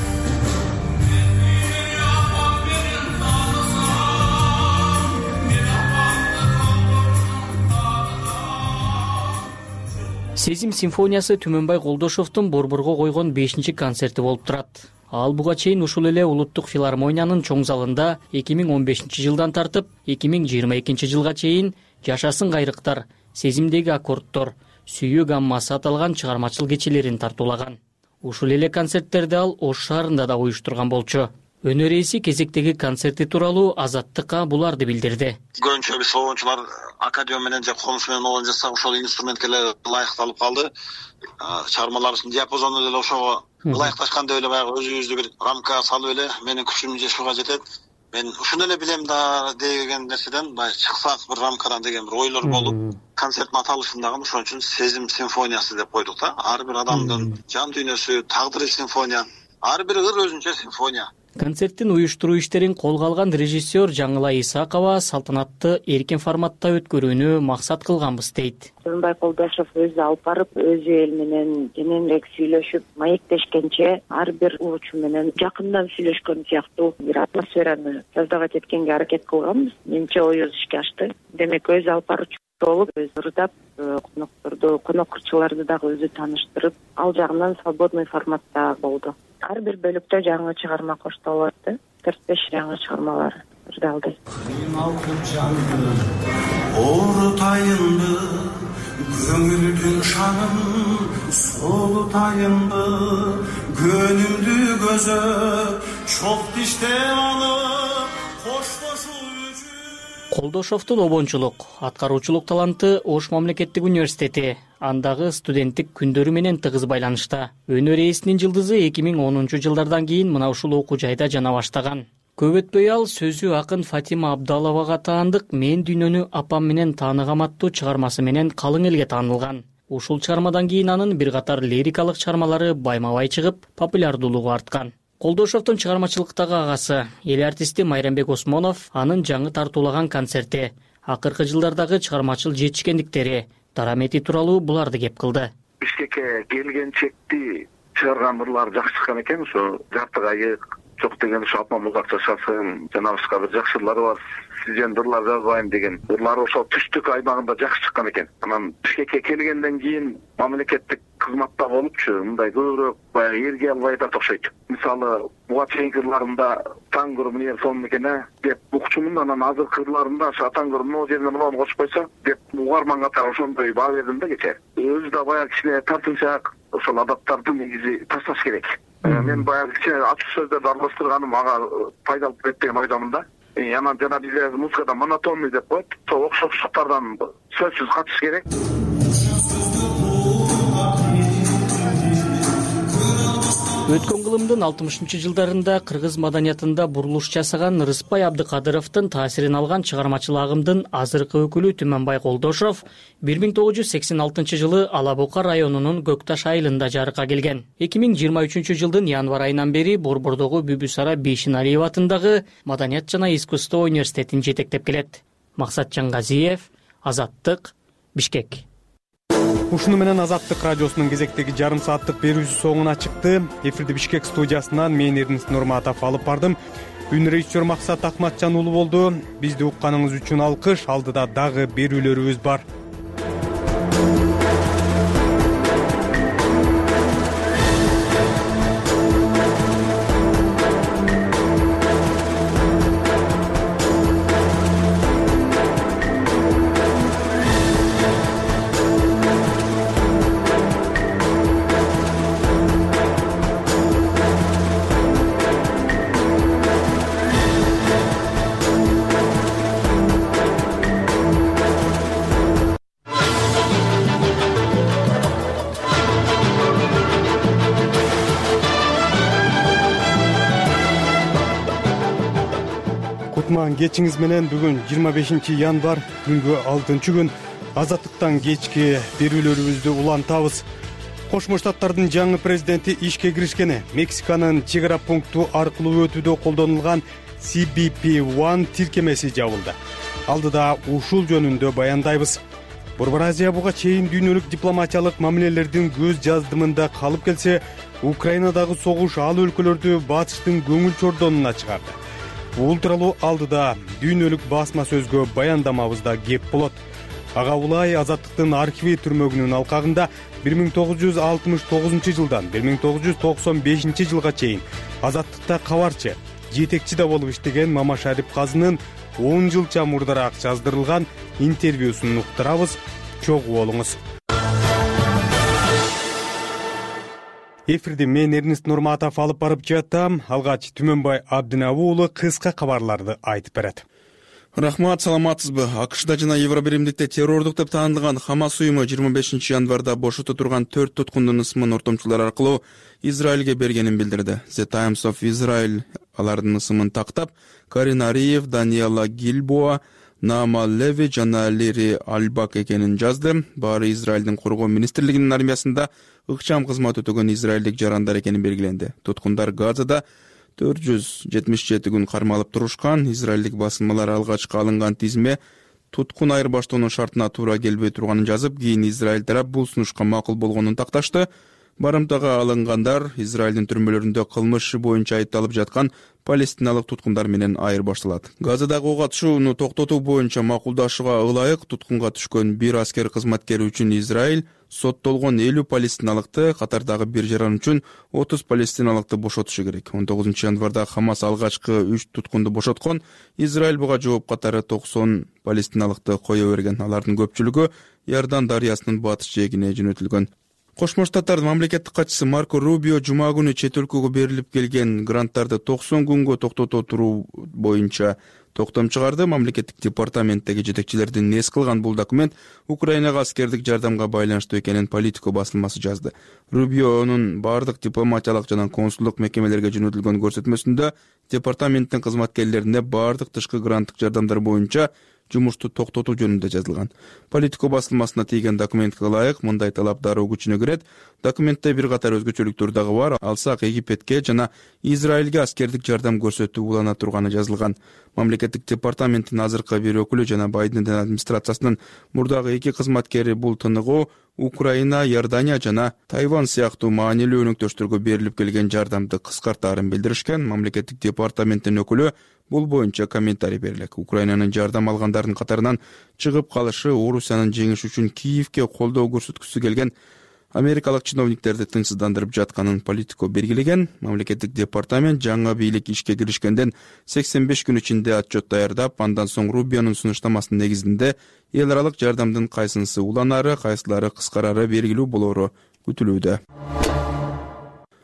Сезим симфониясы Түмөнбай Колдошовдун Борборго койгон бешинчи концерти болуп турат. Ал буга чейин ушул эле Улуттук филармониянын чоң залында эки миң он бешинчи жылдан тартып эки миң жыйырма экинчи жылга чейин Жашасын кайрыктар, Сезимдеги аккордтор, Сүйүү гаммасы аталган чыгармачыл кечелерин тартуулаган. Ушул эле концерттерди ал Ош шаарында да уюштурган болчу. Өнөр ээси кезектеги концерти тууралуу Азаттыкка буларды билдирди. Көбүнчө биз обончулар аккордеон менен же комуш менен обон жасак, ошол инструментке эле ылайыкталып калды. Чыгармаларыбыздын диапазону деле ошого ылайыкташкан деп эле баягы өзүбүздү бир рамка салып эле менин күчүм жешуга жетет. Мен ушуну эле билем да деген нерседен баягы чыксак бир рамкадан деген бир ойлор болуп, концерттин аталышын дагы ошон үчүн Сезим симфониясы деп койдук да. Ар бир адамдын жан дүйнөсү, тагдыры симфония, ар бир ыр өзүнчө симфония. Концерттин уюштуруу иштерин колго алган режиссер Жаңылай Исакова салтанатты эркин форматта өткөрүүнү максат кылганбыз дейт. Түмөнбай Колдошов өзү алып барып, өзү эл менен кененирээк сүйлөшүп, маектешкенче ар бир уучу менен жакындан сүйлөшкөн сыяктуу бир атмосфераны создавать эткенге аракет кылганбыз. Менимче оюбуз ишке ашты. Демек өзү алып баруучу болуп, өзү ырдап, конокторду, конок ырчыларды дагы өзү тааныштырып, ал жагынан свободный форматта болду. Ар бир бөлүктө жаңы чыгарма коштолуп атты. төрт беш жаңы чыгармалар ырдалды. Оорутайынды, көңүлдүн шанын солутайынды, көнүмдү көзөп, чок тиште алып, коштошуу Колдошовдун обончулук, аткаруучулук таланты Ош мамлекеттик университети, андагы студенттик күндөрү менен тыгыз байланышта. Өнөр ээсинин жылдызы эки миң онунчу жылдардан кийин мына ушул окуу жайда жана баштаган. Көп өтпөй ал сөзү акын Фатима Абдаловага таандык Мен дүйнөнү апам менен тааныгам аттуу чыгармасы менен калың элге таанылган. Ушул чыгармадан кийин анын бир катар лирикалык чыгармалары байма-бай чыгып, популярдуулугу арткан. Колдошовдун чыгармачылыктагы агасы, эл артисти Майрамбек Осмонов анын жаңы тартуулаган концерти, акыркы жылдардагы чыгармачыл жетишкендиктери, дарамети тууралуу буларды кеп кылды. Бишкекке келгенчекти чыгарган ырлар жакшы чыккан экен, ошо Жарты кайык, Жок деген ошо апам узак жашасын, жана башка бир жакшы ырлары бар. Сизден ырлар жазбайм деген ырлар ошо түштүк аймагында жакшы чыккан экен. Анан Бишкекке келгенден кийин мамлекеттик кызматта болупчу, мындай көбүрөөк баягы эрге албай да окшойт. Мисалы, буга чейинки ырларында таңгыр эмне сон экен деп укчумун, анан азыркы ырларында ошо таңгыр могу жерине муну кошуп койсо деп угарман катары ошондой баа бердим да кечээ. Өзү да баягы кичине тартынчаак ошол адаттарды негизи ташташ керек. Мен баягы кичине ачык сөздөрдү аралаштырганым ага пайдалуу болот деген ойдомун да. Анан жана бизде музыкада монотонный деп коет, сол окшоштуктардан сөзсүз качыш керек. Өткөн кылымдын алтымышынчы жылдарында кыргыз маданиятында бурулуш жасаган Рыспай Абдыкадыровдун таасирин алган чыгармачыл агымдын азыркы өкүлү Түмөнбай Колдошов бир миң тогуз жүз сексен алтынчы жылы Ала Бука районунун Көкташ айылында жарыкка келген. эки миң жыйырма үчүнчү жылдын январь айынан бери Борбордогу Бүбүсара Бейшеналиева атындагы Маданият жана искусство университетин жетектеп келет. Максатжан Газиев, Азаттык, Бишкек. Ушуну менен Азаттык радиосунун кезектеги жарым сааттык берүүсү соңуна чыкты. Эфирди Бишкек студиясынан мен Эрнис Нурматов алып бардым. Үн режиссер Максат Акматжан уулу болду. Бизди укканыңыз үчүн алкыш. Алдыда дагы берүүлөрүбүз бар. кутман кечиңиз менен. Бүгүн жыйырма бешинчи январь, күнгө алтынчы күн. Азаттыктан кечки берүүлөрүбүздү улантабыз. Кошмо Штаттардын жаңы президенти ишке киришкени, Мексиканын чек ара пункту аркылуу өтүүдө колдонулган си би пи один тиркемеси жабылды. Алдыда ушул жөнүндө баяндайбыз. Борбор Азия буга чейин дүйнөлүк дипломатиялык мамилелердин көз жаздымында калып келсе, Украинадагы согуш ал өлкөлөрдү батыштын көңүл чордонуна чыгарды. Бул тууралуу алдыда дүйнөлүк басма сөзгө баяндамабызда кеп болот. Ага улай Азаттыктын архиви түрмөгүнүн алкагында бир миң тогуз жүз алтымыш тогузунчу жылдан бир миң тогуз жүз токсон бешинчи жылга чейин Азаттыкта кабарчы, жетекчи да болуп иштеген Мамашарип Казынын он жылча мурдараак жаздырылган интервьюсун уктурабыз. Чогуу болуңуз. Эфирди мен Эрнест Нурматов алып барып жатам. Алгач Түмөнбай Абдинабы уулу кыска кабарларды айтып берет. Рахмат, саламатсызбы? АКШда жана Евробиримдикте террордук деп таандалган Хамас уюму жыйырма бешинчи январда бошото турган төрт туткундун ысымын ортомчулар аркылуу Израилге бергенин билдирди. The Times of Israel алардын ысымын тактап, Карин Ариев, Даниэла Гильбоа, Наама Леви жана Лири Альбак экенин жазды. Баары Израилдин коргоо министрлигинин армиясында ыкчам кызмат өтөгөн израилдик жарандар экени белгиленди. Туткундар Газада төрт жүз жетимиш жети күн кармалып турушкан. Израилдик басылмалар алгачкы алынган тизме туткун айырбаштоонун шартына туура келбей турганын жазып, кийин Израиль тарап бул сунушка макул болгонун такташты. Барымтага алынгандар Израилдин түрмөлөрүндө кылмыш иши боюнча айыпталып жаткан палестиналык туткундар менен айырбашталат. Газадагы ок атышууну токтотуу боюнча макулдашууга ылайык туткунга түшкөн бир аскер кызматкери үчүн Израиль соттолгон элүү палестиналыкты, катардагы бир жаран үчүн отуз палестиналыкты бошотушу керек. он тогузунчу январда Хамас алгачкы үч туткунду бошоткон. Израиль буга жооп катары токсон палестиналыкты кое берген. Алардын көпчүлүгү Иордан дарыясынын батыш жээгине жөнөтүлгөн. Кошмо Штаттардын мамлекеттик катчысы Марко Рубио жума күнү чет өлкөгө берилип келген гранттарды токсон күнгө токтото туруу боюнча токтом чыгарды. Мамлекеттик департаменттеги жетекчилердин эс кылган бул документ Украинага аскердик жардамга байланыштуу экенин Политико басылмасы жазды. Рубионун бардык дипломатиялык жана консулдук мекемелерге жөнөтүлгөн көрсөтмөсүндө департаменттин кызматкерлерине бардык тышкы гранттык жардамдар боюнча жумушту токтотуу жөнүндө жазылган. Политико басылмасына тийген документке ылайык мындай талап дароо күчүнө кирет. Документте бир катар өзгөчөлүктөр дагы бар. Алсак Египетке жана Израилге аскердик жардам көрсөтүү улана турганы жазылган. Мамлекеттик департаменттин азыркы бир өкүлү жана Байдендин администрациясынын мурдагы эки кызматкери бул тыныгуу Украина, Иордания жана Тайвань сыяктуу маанилүү өнөктөштөргө берилип келген жардамды кыскартаарын билдиришкен. Мамлекеттик департаменттин өкүлү бул боюнча комментарий берилет. Украинанын жардам алгандардын катарынан чыгып калышы Орусиянын жеңиши үчүн Киевке колдоо көрсөткүсү келген америкалык чиновниктерди тынчсыздандырып жатканын Политико белгилеген. Мамлекеттик департамент жаңы бийлик ишке киришкенден сексен беш күн ичинде отчет даярдап, андан соң Рубионун сунуштамасынын негизинде эл аралык жардамдын кайсынысы уланары, кайсылары кыскарары белгилүү болоору күтүлүүдө.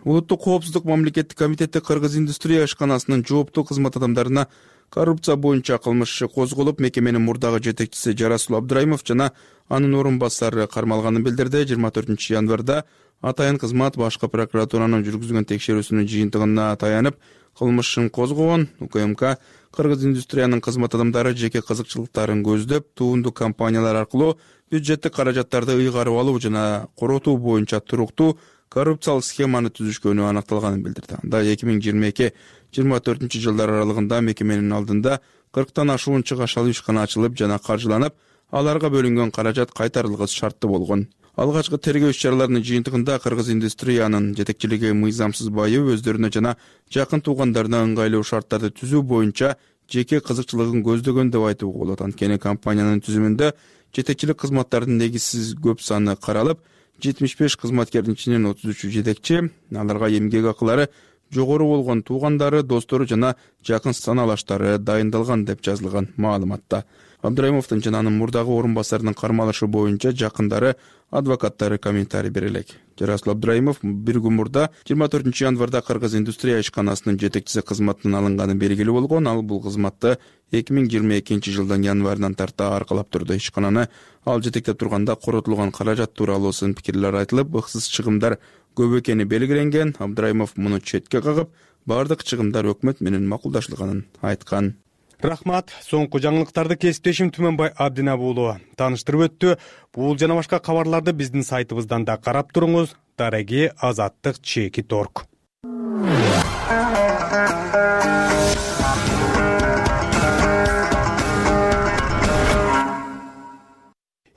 Улуттук коопсуздук мамлекеттик комитети Кыргыз индустрия ишканасынын жооптуу кызмат адамдарына коррупция боюнча кылмыш иши козголуп, мекеменин мурдагы жетекчиси Жарасул Абдраимов жана анын орун басары кармалганын билдирди. жыйырма төртүнчү январда атайын кызмат башкы прокуратуранын жүргүзгөн текшерүүсүнүн жыйынтыгына таянып кылмыш ишин козгогон. УКМК Кыргыз индустриянын кызмат адамдары жеке кызыкчылыктарын көздөп, туунду компаниялар аркылуу бюджеттик каражаттарды ыйгарып алуу жана коротуу боюнча туруктуу коррупциялык схеманы түзүшкөнү аныкталганын билдирди. Анда эки миң жыйырма эки жыйырма төртүнчү жылдар аралыгында мекеменин алдында кырктан ашуун чыгашалы ишкана ачылып жана каржыланып, аларга бөлүнгөн каражат кайтарылгысы шарттуу болгон. Алгачкы тергөө иш-чараларынын жыйынтыгында Кыргыз индустриянын жетекчилиги мыйзамсыз байып, өздөрүнө жана жакын туугандарына ыңгайлуу шарттарды түзүү боюнча жеке кызыкчылыгын көздөгөн деп айтууга болот. Анткени компаниянын түзүмүндө жетекчилик кызматтардын негизсиз көп саны каралып, жетимиш беш кызматкердин ичинен отуз үчү жетекчи, аларга эмгек акылары жогору болгон туугандары, достору жана жакын саналаштары дайындалган деп жазылган маалыматта. Абдраимовдун жана анын мурдагы орун басарынын кармалышы боюнча жакындары, адвокаттары комментарий берелек. Жарасул Абдраимов бир күн мурда жыйырма төртүнчү январда Кыргыз индустрия ишканасынын жетекчиси кызматынан алынганы белгилүү болгон. Ал бул кызматты эки миң жыйырма экинчи жылдын январынан тарта аркалап турду. Ишкананы ал жетектеп турганда коротулган каражат тууралуу сын пикирлер айтылып, ыксыз чыгымдар көп экени белгиленген. Абдраимов муну четке кагып, бардык чыгымдар өкмөт менен макулдашылганын айткан. Рахмат. Соңку жаңылыктарды кесиптешим Түмөнбай Абдинап уулу тааныштырып өттү. Бул жана башка кабарларды биздин сайтыбыздан да карап туруңуз. Дареги азаттык чекит точка орг.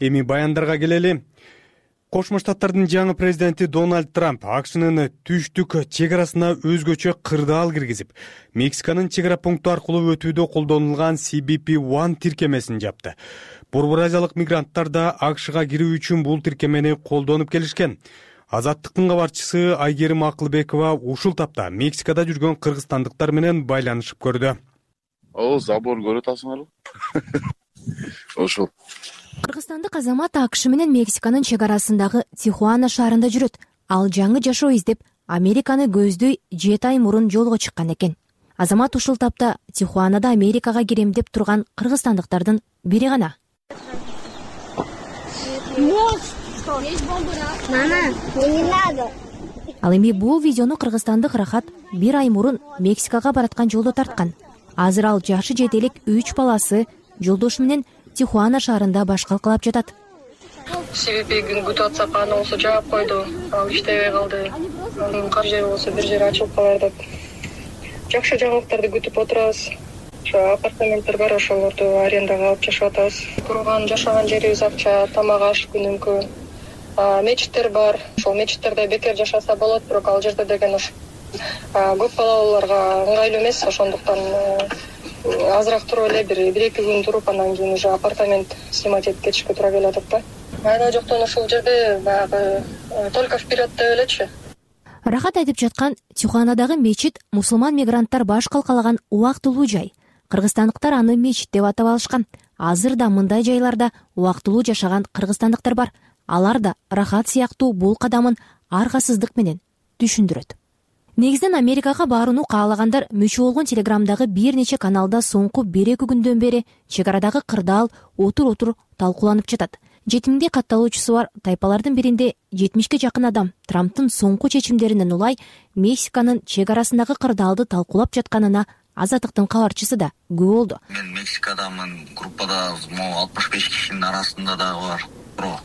Эми баяндарга келели. Кошмо Штаттардын жаңы президенти Дональд Трамп АКШнын түштүк чек арасына өзгөчө кырдаал киргизип, Мексиканын чек ара пункту аркылуу өтүүдө колдонулган си би пи один тиркемесин жапты. Борбор Азиялык мигранттар да АКШга кирүү үчүн бул тиркемени колдонуп келишкен. Азаттыктын кабарчысы Айгерим Акылбекова ушул тапта Мексикада жүргөн кыргызстандыктар менен байланышып көрдү. О, забор көрүп атасыңарбы? Ошол. Кыргызстандык азамат АКШ менен Мексиканын чек арасындагы Тихуана шаарында жүрөт. Ал жаңы жашоо издеп, Американы көздөй жети ай мурун жолго чыккан экен. Азамат ушул тапта Тихуанада Америкага кирем деп турган кыргызстандыктардын бири гана. Ал эми бул видеону кыргызстандык Рахат бир ай мурун Мексикага бараткан жолдо тарткан. Азыр ал жашы жете элек үч баласы жолдошу менен Тихуана шаарында баш калкалап жатат. си би пи күтүп атсак, аны болсо жаап койду. Ал иштебей калды. Анын кар жери болсо бир жери ачылып калар деп. Жакшы жаңылыктарды күтүп отурабыз. Ошо апартаменттер бар, ошолорду арендага алып жашап атабыз. Турган, жашаган жерибиз акча, тамак аш күнүмкү. Мечиттер бар. Ошол мечиттерде бекер жашаса болот, бирок ал жерде деген ошо көп балалууларга ыңгайлуу эмес, ошондуктан азыраак туруп эле бир бир эки күн туруп, анан кийин уже апартамент снимать этип кетишке туура келип атат да. Айда жоктон ушул жерде баягы только вперед деп элечи. Рахат айтып жаткан Тихуанадагы мечит мусулман мигранттар баш калкалаган убактылуу жай. Кыргызстандыктар аны мечит деп атап алышкан. Азыр да мындай жайларда убактылуу жашаган кыргызстандыктар бар. Алар да Рахат сыяктуу бул кадамын аргасыздык менен түшүндүрөт. Негизден Америкага барууну каалагандар мүчө болгон Телеграмдагы бир нече каналда соңку бир эки күндөн бери чек арадагы кырдаал отур-отур талкууланып жатат. Жетимиңге катталуучусу бар тайпалардын биринде жетимишке жакын адам Трамптын соңку чечимдеринен улай Мексиканын чек арасындагы кырдаалды талкуулап жатканына Азаттыктын кабарчысы да күбө болду. Мен Мексикадамын, группада могу алтымыш беш кишинин арасында дагы бар.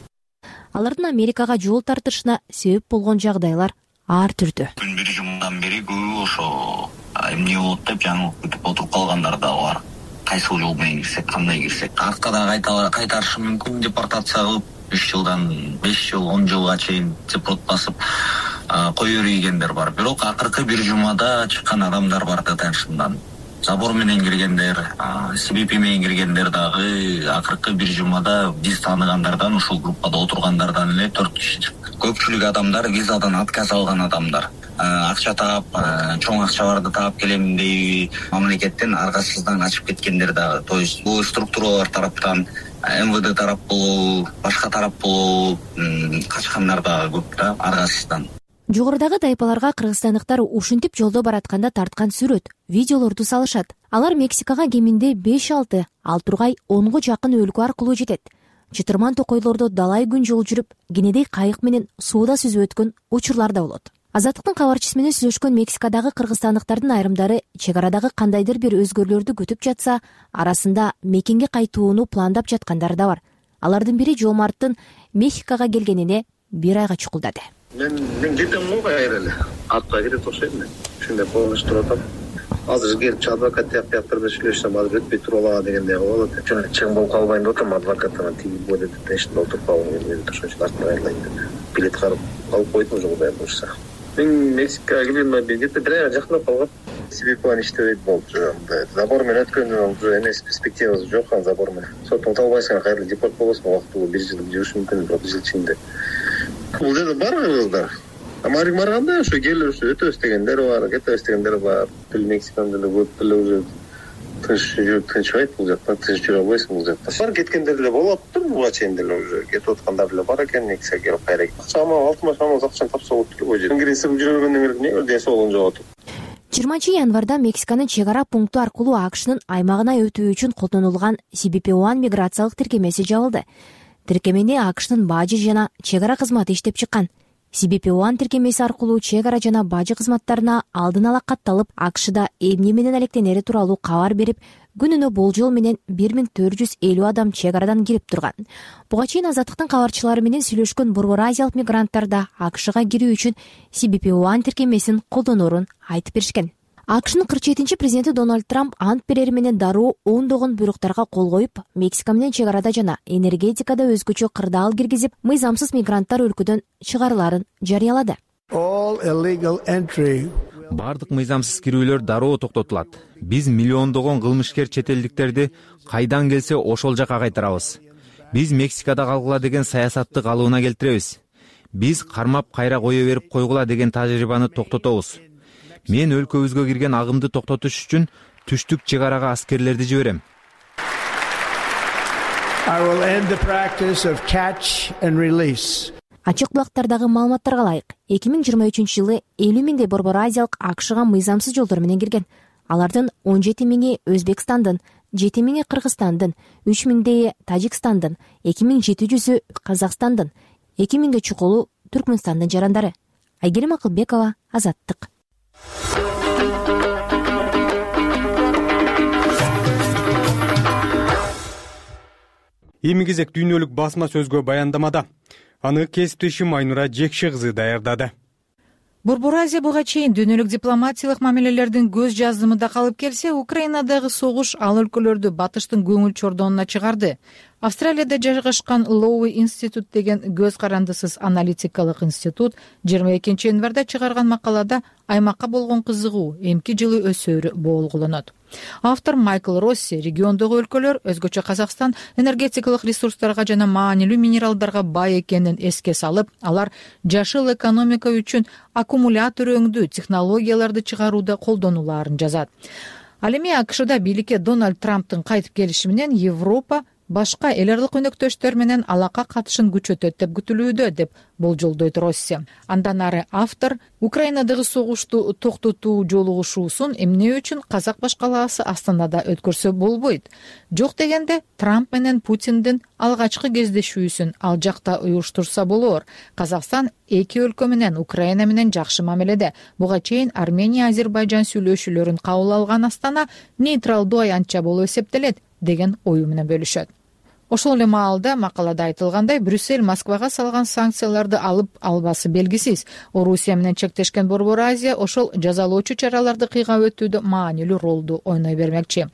Алардын Америкага жол тартышына себеп болгон жагдайлар ар түрдүү. Күн бир жумадан бери көбү ошо эмне болот деп жаңылык күтүп отуруп калгандар да бар. Кайсыл жол менен кирсек, кандай кирсек, артка да кайтарышы мүмкүн, депортация кылып үч жылдан беш жыл, он жылга чейин депорт басып кое берийгендер бар. Бирок акыркы бир жумада чыккан адамдар бар да Теншиндан. Забор менен киргендер, си би пи менен киргендер дагы акыркы бир жумада биз тааныгандардан, ушул группада отургандардан эле төрт киши чыкты. Көпчүлүк адамдар визадан отказ алган адамдар. Акча таап, чоң акчаларды таап келем дейби мамлекеттен аргасыздан качып кеткендер дагы. То есть бул структуралар тараптан, эм вэ дэ тарап болобу, башка тарап болобу качкандар дагы көп да аргасыздан. Жогорудагы тайпаларга кыргызстандыктар ушинтип жолдо баратканда тарткан сүрөт, видеолорду салышат. Алар Мексикага кеминде беш алты, ал тургай онго жакын өлкө аркылуу жетет. Чытырман токойлордо далай күн жол жүрүп, кенедей кайык менен сууда сүзүп өткөн учурлар да болот. Азаттыктын кабарчысы менен сүйлөшкөн Мексикадагы кыргызстандыктардын айрымдары чек арадагы кандайдыр бир өзгөрүүлөрдү күтүп жатса, арасында мекенге кайтууну пландап жаткандар да бар. Алардын бири Жомарттын Мексикага келгенине бир айга чукулдады. Мен мен жетем го кайра эле. Атка кирет окшойт мен. Ушундай полночь туруп атам. Азыр келип адвокат тияк тияктарда сүйлөшсөм азыр өтпөй туруп алат дегендей болот. Чын чың болуп калбайын деп атам, адвокаттан тиги бу деп тешинде отуруп калгым келет. Ошончо артына кайрылайын деп. Билет карып алып койдум уже кудай буюрса. Мен Мексикага келгенде где-то бир айга жакындап калган. си би пи иштебейт болчу. Забор менен өткөндөн уже эмес, перспективасы жок ан забор менен. Соттон табылбайсың, кайра депорт болосуң, убактылуу бир жыл жүрүш мүмкүн, бирок жыл ичинде. Бул жерде бар кыргыздар. Марик барганда ошо келип ошо өтөбүз дегендер бар, кетебиз дегендер бар. Тил Мексикан деле көп деле уже тынч жүрүп тынчбайт бул жакта, тынч жүрө албайсың бул жакта. Бар кеткендер деле болуптур, буга чейин деле уже кетип аткандар деле бар экен, Мексикага келип кайра. Чама алтымыш миң акчаны тапса болот эле бул жерде. Ингресип жүргөндөн кийин эмне десе болгон жок. жыйырманчы январда Мексиканын чек ара пункту аркылуу АКШнын аймагына өтүү үчүн колдонулган си би пи один миграциялык тиркемеси жабылды. Тиркемени АКШнын бажы жана чек ара кызматы иштеп чыккан. си би пи один тиркемеси аркылуу чек ара жана бажы кызматтарына алдын ала катталып, АКШда эмне менен алектенери тууралуу кабар берип, күнүнө болжол менен бир миң төрт жүз элүү адам чек арадан кирип турган. Буга чейин Азаттыктын кабарчылары менен сүйлөшкөн Борбор Азиялык мигранттар да АКШга кирүү үчүн си би пи один тиркемесин колдоноорун айтып беришкен. АКШнын кырк жетинчи президенти Дональд Трамп ант берери менен дароо ондогон буйруктарга кол коюп, Мексика менен чек арада жана энергетикада өзгөчө кырдаал киргизип, мыйзамсыз мигранттар өлкөдөн чыгарылаарын жарыялады. Бардык мыйзамсыз кирүүлөр дароо токтотулат. Биз миллиондогон кылмышкер чет элдиктерди кайдан келсе ошол жака кайтарабыз. Биз Мексикада калгыла деген саясатты калыбына келтиребиз. Биз кармап кайра кое берип койгула деген тажрыйбаны токтотобуз. Мен өлкөбүзгө кирген агымды токтотуш үчүн түштүк чек арага аскерлерди жиберем. Ачык булактардагы маалыматтарга ылайык, эки миң жыйырма үчүнчү жылы элүү миңдей Борбор Азиялык АКШга мыйзамсыз жолдор менен кирген. Алардын он жети миңи Өзбекстандын, жети миңи Кыргызстандын, үч миңдейи Тажикстандын, эки миң жети жүзү Казакстандын, эки миңге чукулу Түркмөнстандын жарандары. Айгерим Акылбекова, Азаттык. Эми кезек дүйнөлүк басма сөзгө баяндамада. Аны кесиптешим Айнура Жекши кызы даярдады. Борбор Азия буга чейин дүйнөлүк дипломатиялык мамилелердин көз жаздымында калып келсе, Украинадагы согуш ал өлкөлөрдү батыштын көңүл чордонуна чыгарды. Австралияда жайгашкан Лоуи институт деген көз карандысыз аналитикалык институт жыйырма экинчи январда чыгарган макалада аймакка болгон кызыгуу эмки жылы өсөөрү болгуланат. Автор Майкл Росси региондогу өлкөлөр, өзгөчө Казакстан, энергетикалык ресурстарга жана маанилүү минералдарга бай экенин эске салып, алар жашыл экономика үчүн аккумулятор өңдүү технологияларды чыгарууда колдонулаарын жазат. Ал эми АКШда бийликке Дональд Трамптын кайтып келиши менен Европа башка эл аралык өнөктөштөр менен алака катышын күчөтөт деп күтүлүүдө, деп болжолдойт Росси. Андан ары автор Украинадагы согушту токтотуу жолугушуусун эмне үчүн казак башкалаасы Астанада өткөрсө болбойт? Жок дегенде Трамп менен Путиндин алгачкы кездешүүсүн ал жакта уюштурса болор. Казакстан эки өлкө менен Украина менен жакшы мамиледе. Буга чейин Армения, Азербайжан сүйлөшүүлөрүн кабыл алган Астана нейтралдуу аянтча болуп эсептелет деген ою менен бөлүшөт. Ошол эле маалда макалада айтылгандай, Брюссель Москвага салган санкцияларды алып албасы белгисиз. Орусия менен чектешкен Борбор Азия ошол жазалоочу чараларды кыйгап өтүүдө маанилүү ролду ойной бермекчи.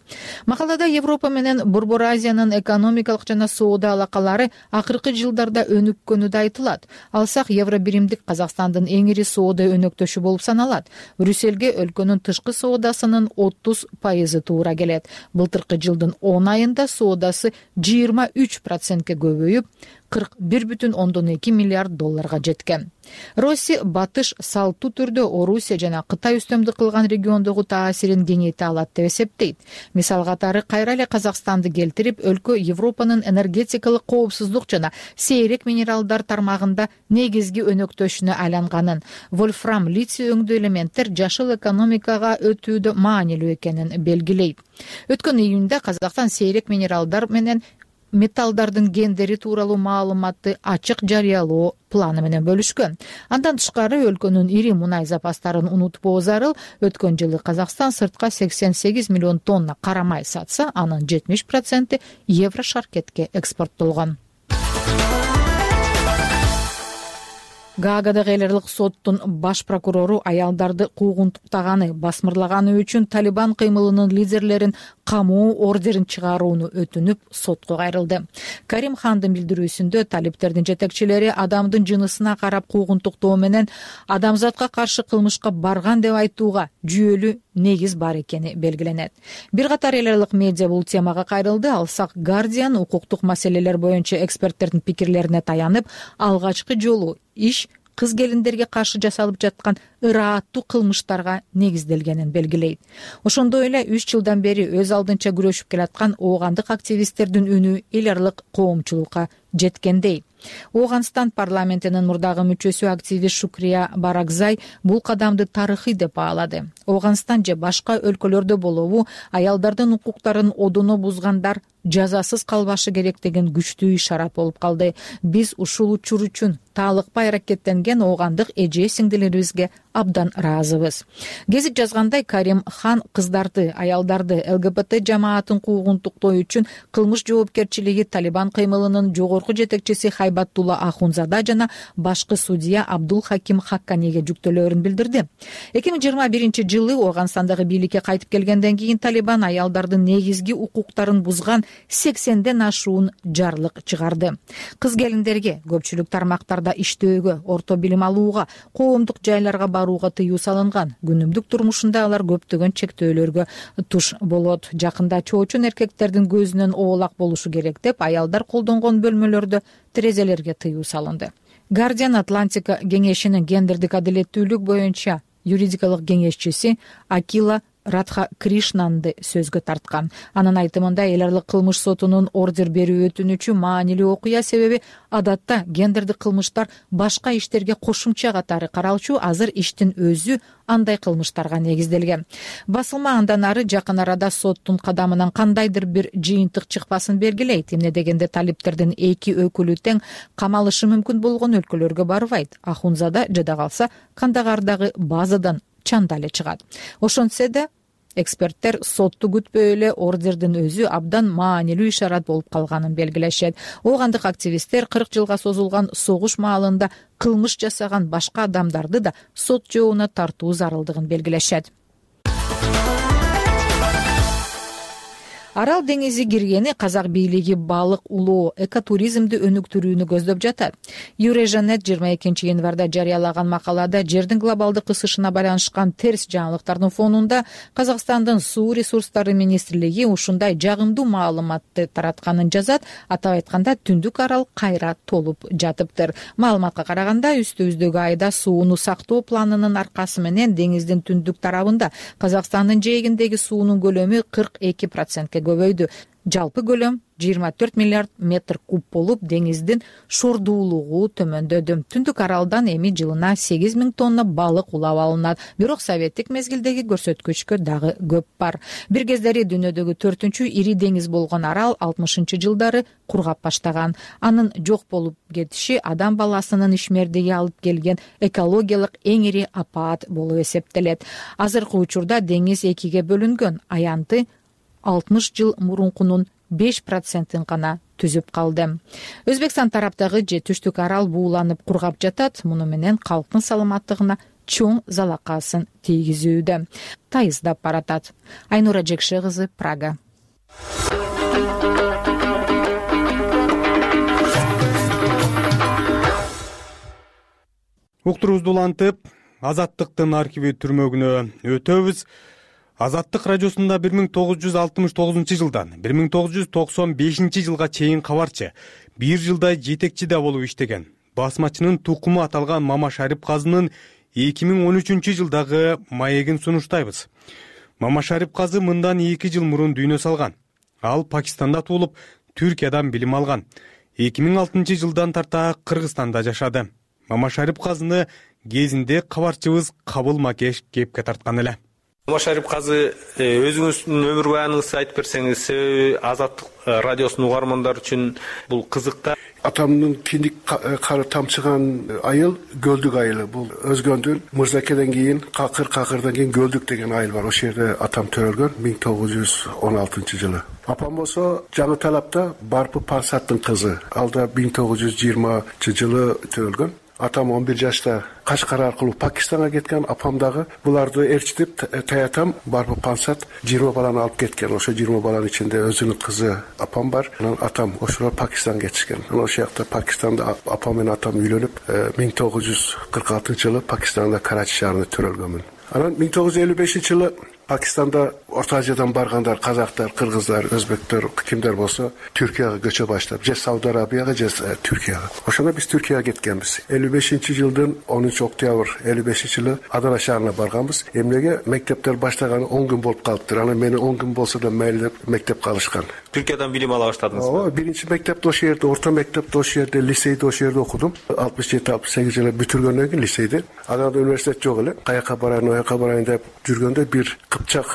Макалада Европа менен Борбор Азиянын экономикалык жана соода алакалары акыркы жылдарда өнүккөнү да айтылат. Алсак, евро биримдик Казакстандын эң ири соода өнөктөшү болуп саналат. Брюссельге өлкөнүн тышкы соодасынын отуз пайызы туура келет. Былтыркы жылдын он айында соодасы жыйырма үч процентке көбөйүп, кырк бир бүтүн ондон эки миллиард долларга жеткен. Росси батыш салттуу түрдө Орусия жана Кытай үстөмдүк кылган региондогу таасирин кеңейте алат деп эсептейт. Мисал катары кайра эле Казакстанды келтирип, өлкө Европанын энергетикалык коопсуздук жана сейрек минералдар тармагында негизги өнөктөшүнө айланганын, вольфрам, литий өңдүү элементтер жашыл экономикага өтүүдө маанилүү экенин белгилейт. Өткөн июнда Казакстан сейрек минералдар менен металлдардын гендери тууралуу маалыматты ачык жарыялоо планы менен бөлүшкөн. Андан тышкары өлкөнүн ири мунай запастарын унутпоо зарыл. Өткөн жылы Казакстан сыртка сексен сегиз миллион тонна кара май сатса, анын жетимиш проценти Еврошаркетке экспорттолгон. Гаагадагы эл аралык соттун баш прокурору аялдарды куугунтуктаганы, басмырлаганы үчүн Талибан кыймылынын лидерлерин камоо ордерин чыгарууну өтүнүп, сотко кайрылды. Карим Хандын билдирүүсүндө талиптердин жетекчилери адамдын жынысына карап куугунтуктоо менен адамзатка каршы кылмышка барган деп айтууга жүйөлүү негиз бар экени белгиленет. Бир катар эл аралык медиа бул темага кайрылды. Алсак, Guardian укуктук маселелер боюнча эксперттердин пикирлерине таянып, алгачкы жолу иш кыз келиндерге каршы жасалып жаткан ырааттуу кылмыштарга негизделгенин белгилейт. Ошондой эле үч жылдан бери өз алдынча күрөшүп келаткан оогандык активисттердин үнү эл аралык коомчулукка жеткендей. Ооганстан парламентинин мурдагы мүчөсү активист Шукрия Баракзай бул кадамды тарыхый деп баалады. Ооганстан же башка өлкөлөрдө болобу аялдардын укуктарын одоно бузгандар жазасыз калбашы керек деген күчтүү ишарат болуп калды. Биз ушул учур үчүн таалыкпай аракеттенген оогандык эже сиңдилерибизге абдан ыраазыбыз. Гезит жазгандай, Карим хан кыздарды, аялдарды, ЛГБТ жамаатын куугунтуктоо үчүн кылмыш жоопкерчилиги Талибан кыймылынын жогорку жетекчиси Хайбаттулла Ахунзада жана башкы судья Абдул Хаким Хакканиге жүктөөлөрүн билдирди. эки миң жыйырма биринчи жылы Ооганстандагы бийликке кайтып келгенден кийин Талибан аялдардын негизги укуктарын бузган сексенден ашуун жарлык чыгарды. Кыз келиндерге көпчүлүк тармактарда иштөөгө, орто билим алууга, коомдук жайларга барууга тыюу салынган. Күнүмдүк турмушунда алар көптөгөн чектөөлөргө туш болот. Жакында чоочун эркектердин көзүнөн оолак болушу керек деп аялдар колдонгон бөлмөлөрдө терезелерге тыюу салынды. Guardian Атлантика кеңешинин гендердик адилеттүүлүк боюнча юридикалык кеңешчиси Акила Радха Кришнанды сөзгө тарткан. Анын айтымында, эл аралык кылмыш сотунун ордер берүү өтүнүчү маанилүү окуя, себеби адатта гендердик кылмыштар башка иштерге кошумча катары каралчу, азыр иштин өзү андай кылмыштарга негизделген. Басылма андан ары жакын арада соттун кадамынан кандайдыр бир жыйынтык чыкпасын белгилейт. Эмне дегенде талиптердин эки өкүлү тең камалышы мүмкүн болгон өлкөлөргө барбайт. Ахунзада жада калса Кандагардагы базадан чанда эле чыгат. Ошентсе да эксперттер сотту күтпөй эле ордердин өзү абдан маанилүү ишарат болуп калганын белгилешет. Оогандык активисттер кырк жылга созулган согуш маалында кылмыш жасаган башка адамдарды да сот жообуна тартуу зарылдыгын белгилешет. Арал деңизи киргени казак бийлиги балык улоо, экотуризмди өнүктүрүүнү көздөп жатат. Юрежанет жыйырма экинчи январда жарыялаган макалада жердин глобалдык ысышына байланышкан терс жаңылыктардын фонунда Казакстандын суу ресурстары министрлиги ушундай жагымдуу маалыматты таратканын жазат. Атап айтканда, Түндүк Арал кайра толуп жатыптыр. Маалыматка караганда, үстүбүздөгү айда сууну сактоо планынын аркасы менен деңиздин түндүк тарабында Казакстандын жээгиндеги суунун көлөмү кырк эки процентке көбөйдү. Жалпы көлөм жыйырма төрт миллиард метр куб болуп, деңиздин шордуулугу төмөндөдү. Түндүк Аралдан эми жылына сегиз миң тонна балык улап алынат. Бирок советтик мезгилдеги көрсөткүчкө дагы көп бар. Бир кездери дүйнөдөгү төртүнчү ири деңиз болгон Арал алтымышынчы жылдары кургап баштаган. Анын жок болуп кетиши адам баласынын ишмердиги алып келген экологиялык эң ири апаат болуп эсептелет. Азыркы учурда деңиз экиге бөлүнгөн. Аянты алтымыш жыл мурункунун беш процентин гана түзүп калды. Өзбекстан тараптагы же Түштүк Арал бууланып кургап жатат. Муну менен калктын саламаттыгына чоң залакасын тийгизүүдө. Тайыздап баратат. Айнура Жекше кызы, Прага. Уктуруубузду улантып, Азаттыктын архиви түрмөгүнө өтөбүз. Азаттык радиосунда бир миң тогуз жүз алтымыш тогузунчу жылдан бир миң тогуз жүз токсон бешинчи жылга чейин кабарчы, бир жылдай жетекчи да болуп иштеген басмачынын тукуму аталган Мама Шарип казынын эки миң он үчүнчү жылдагы маегин сунуштайбыз. Мама Шарип казы мындан эки жыл мурун дүйнө салган. Ал Пакистанда туулуп, Түркиядан билим алган. эки миң алтынчы жылдан тарта Кыргызстанда жашады. Мама Шарип казыны кезинде кабарчыбыз Кабыл Макеш кепке тарткан эле. Мама Шарип казы, өзүңүздүн өмүр баяныңызды айтып берсеңиз, себеби Азаттык радиосунун угармандары үчүн бул кызык. Атамдын киндик кары тамчыган айыл Гөлдүк айылы. Бул Өзгөндүн Мырзакеден кийин Какыр, Какырдан кийин Гөлдүк деген айыл бар. Ошол жерде атам төрөлгөн миң тогуз жүз он алтынчы жылы. Апам болсо Жаңы Талапта Барпы Пансаттын кызы. Ал да миң тогуз жүз жыйырманчы жылы төрөлгөн. Атам он бир жашта Кашкар аркылуу Пакистанга кеткен. Апам дагы буларды ээрчитип, таятам Барпы Пансат жыйырма баланы алып кеткен. Ошо жыйырма баланын ичинде өзүнүн кызы апам бар. Анан атам ошолор Пакистанга кетишкен. Анан ошол жакта Пакистанда апам менен атам үйлөнүп, миң тогуз жүз кырк алтынчы жылы Пакистанда Карачи шаарында төрөлгөнмүн. Анан миң тогуз жүз элүү бешинчи жылы Пакистанда Орто Азиядан баргандар, казактар, кыргыздар, өзбектер, кимдер болсо Түркияга көчө баштап, же Сауд Арабияга, же Түркияга. Ошондо биз Түркияга кеткенбиз. элүү бешинчи жылдын онунчу октябрь элүү бешинчи жылы Адана шаарына барганбыз. Эмнеге мектептер баштаганы он күн болуп калыптыр. Анан мени он күн болсо да мейли деп мектеп калышкан. Түркиядан билим ала баштадыңызбы? Ооба, биринчи мектепти ошол жерде, орто мектепти ошол жерде, лицейди ошол жерде окудум. алтымыш жети алтымыш сегиз жылы бүтүргөндөн кийин лицейди. Анан университет жок эле. Каяка барайын, ояка барайын деп жүргөндө бир кыпчак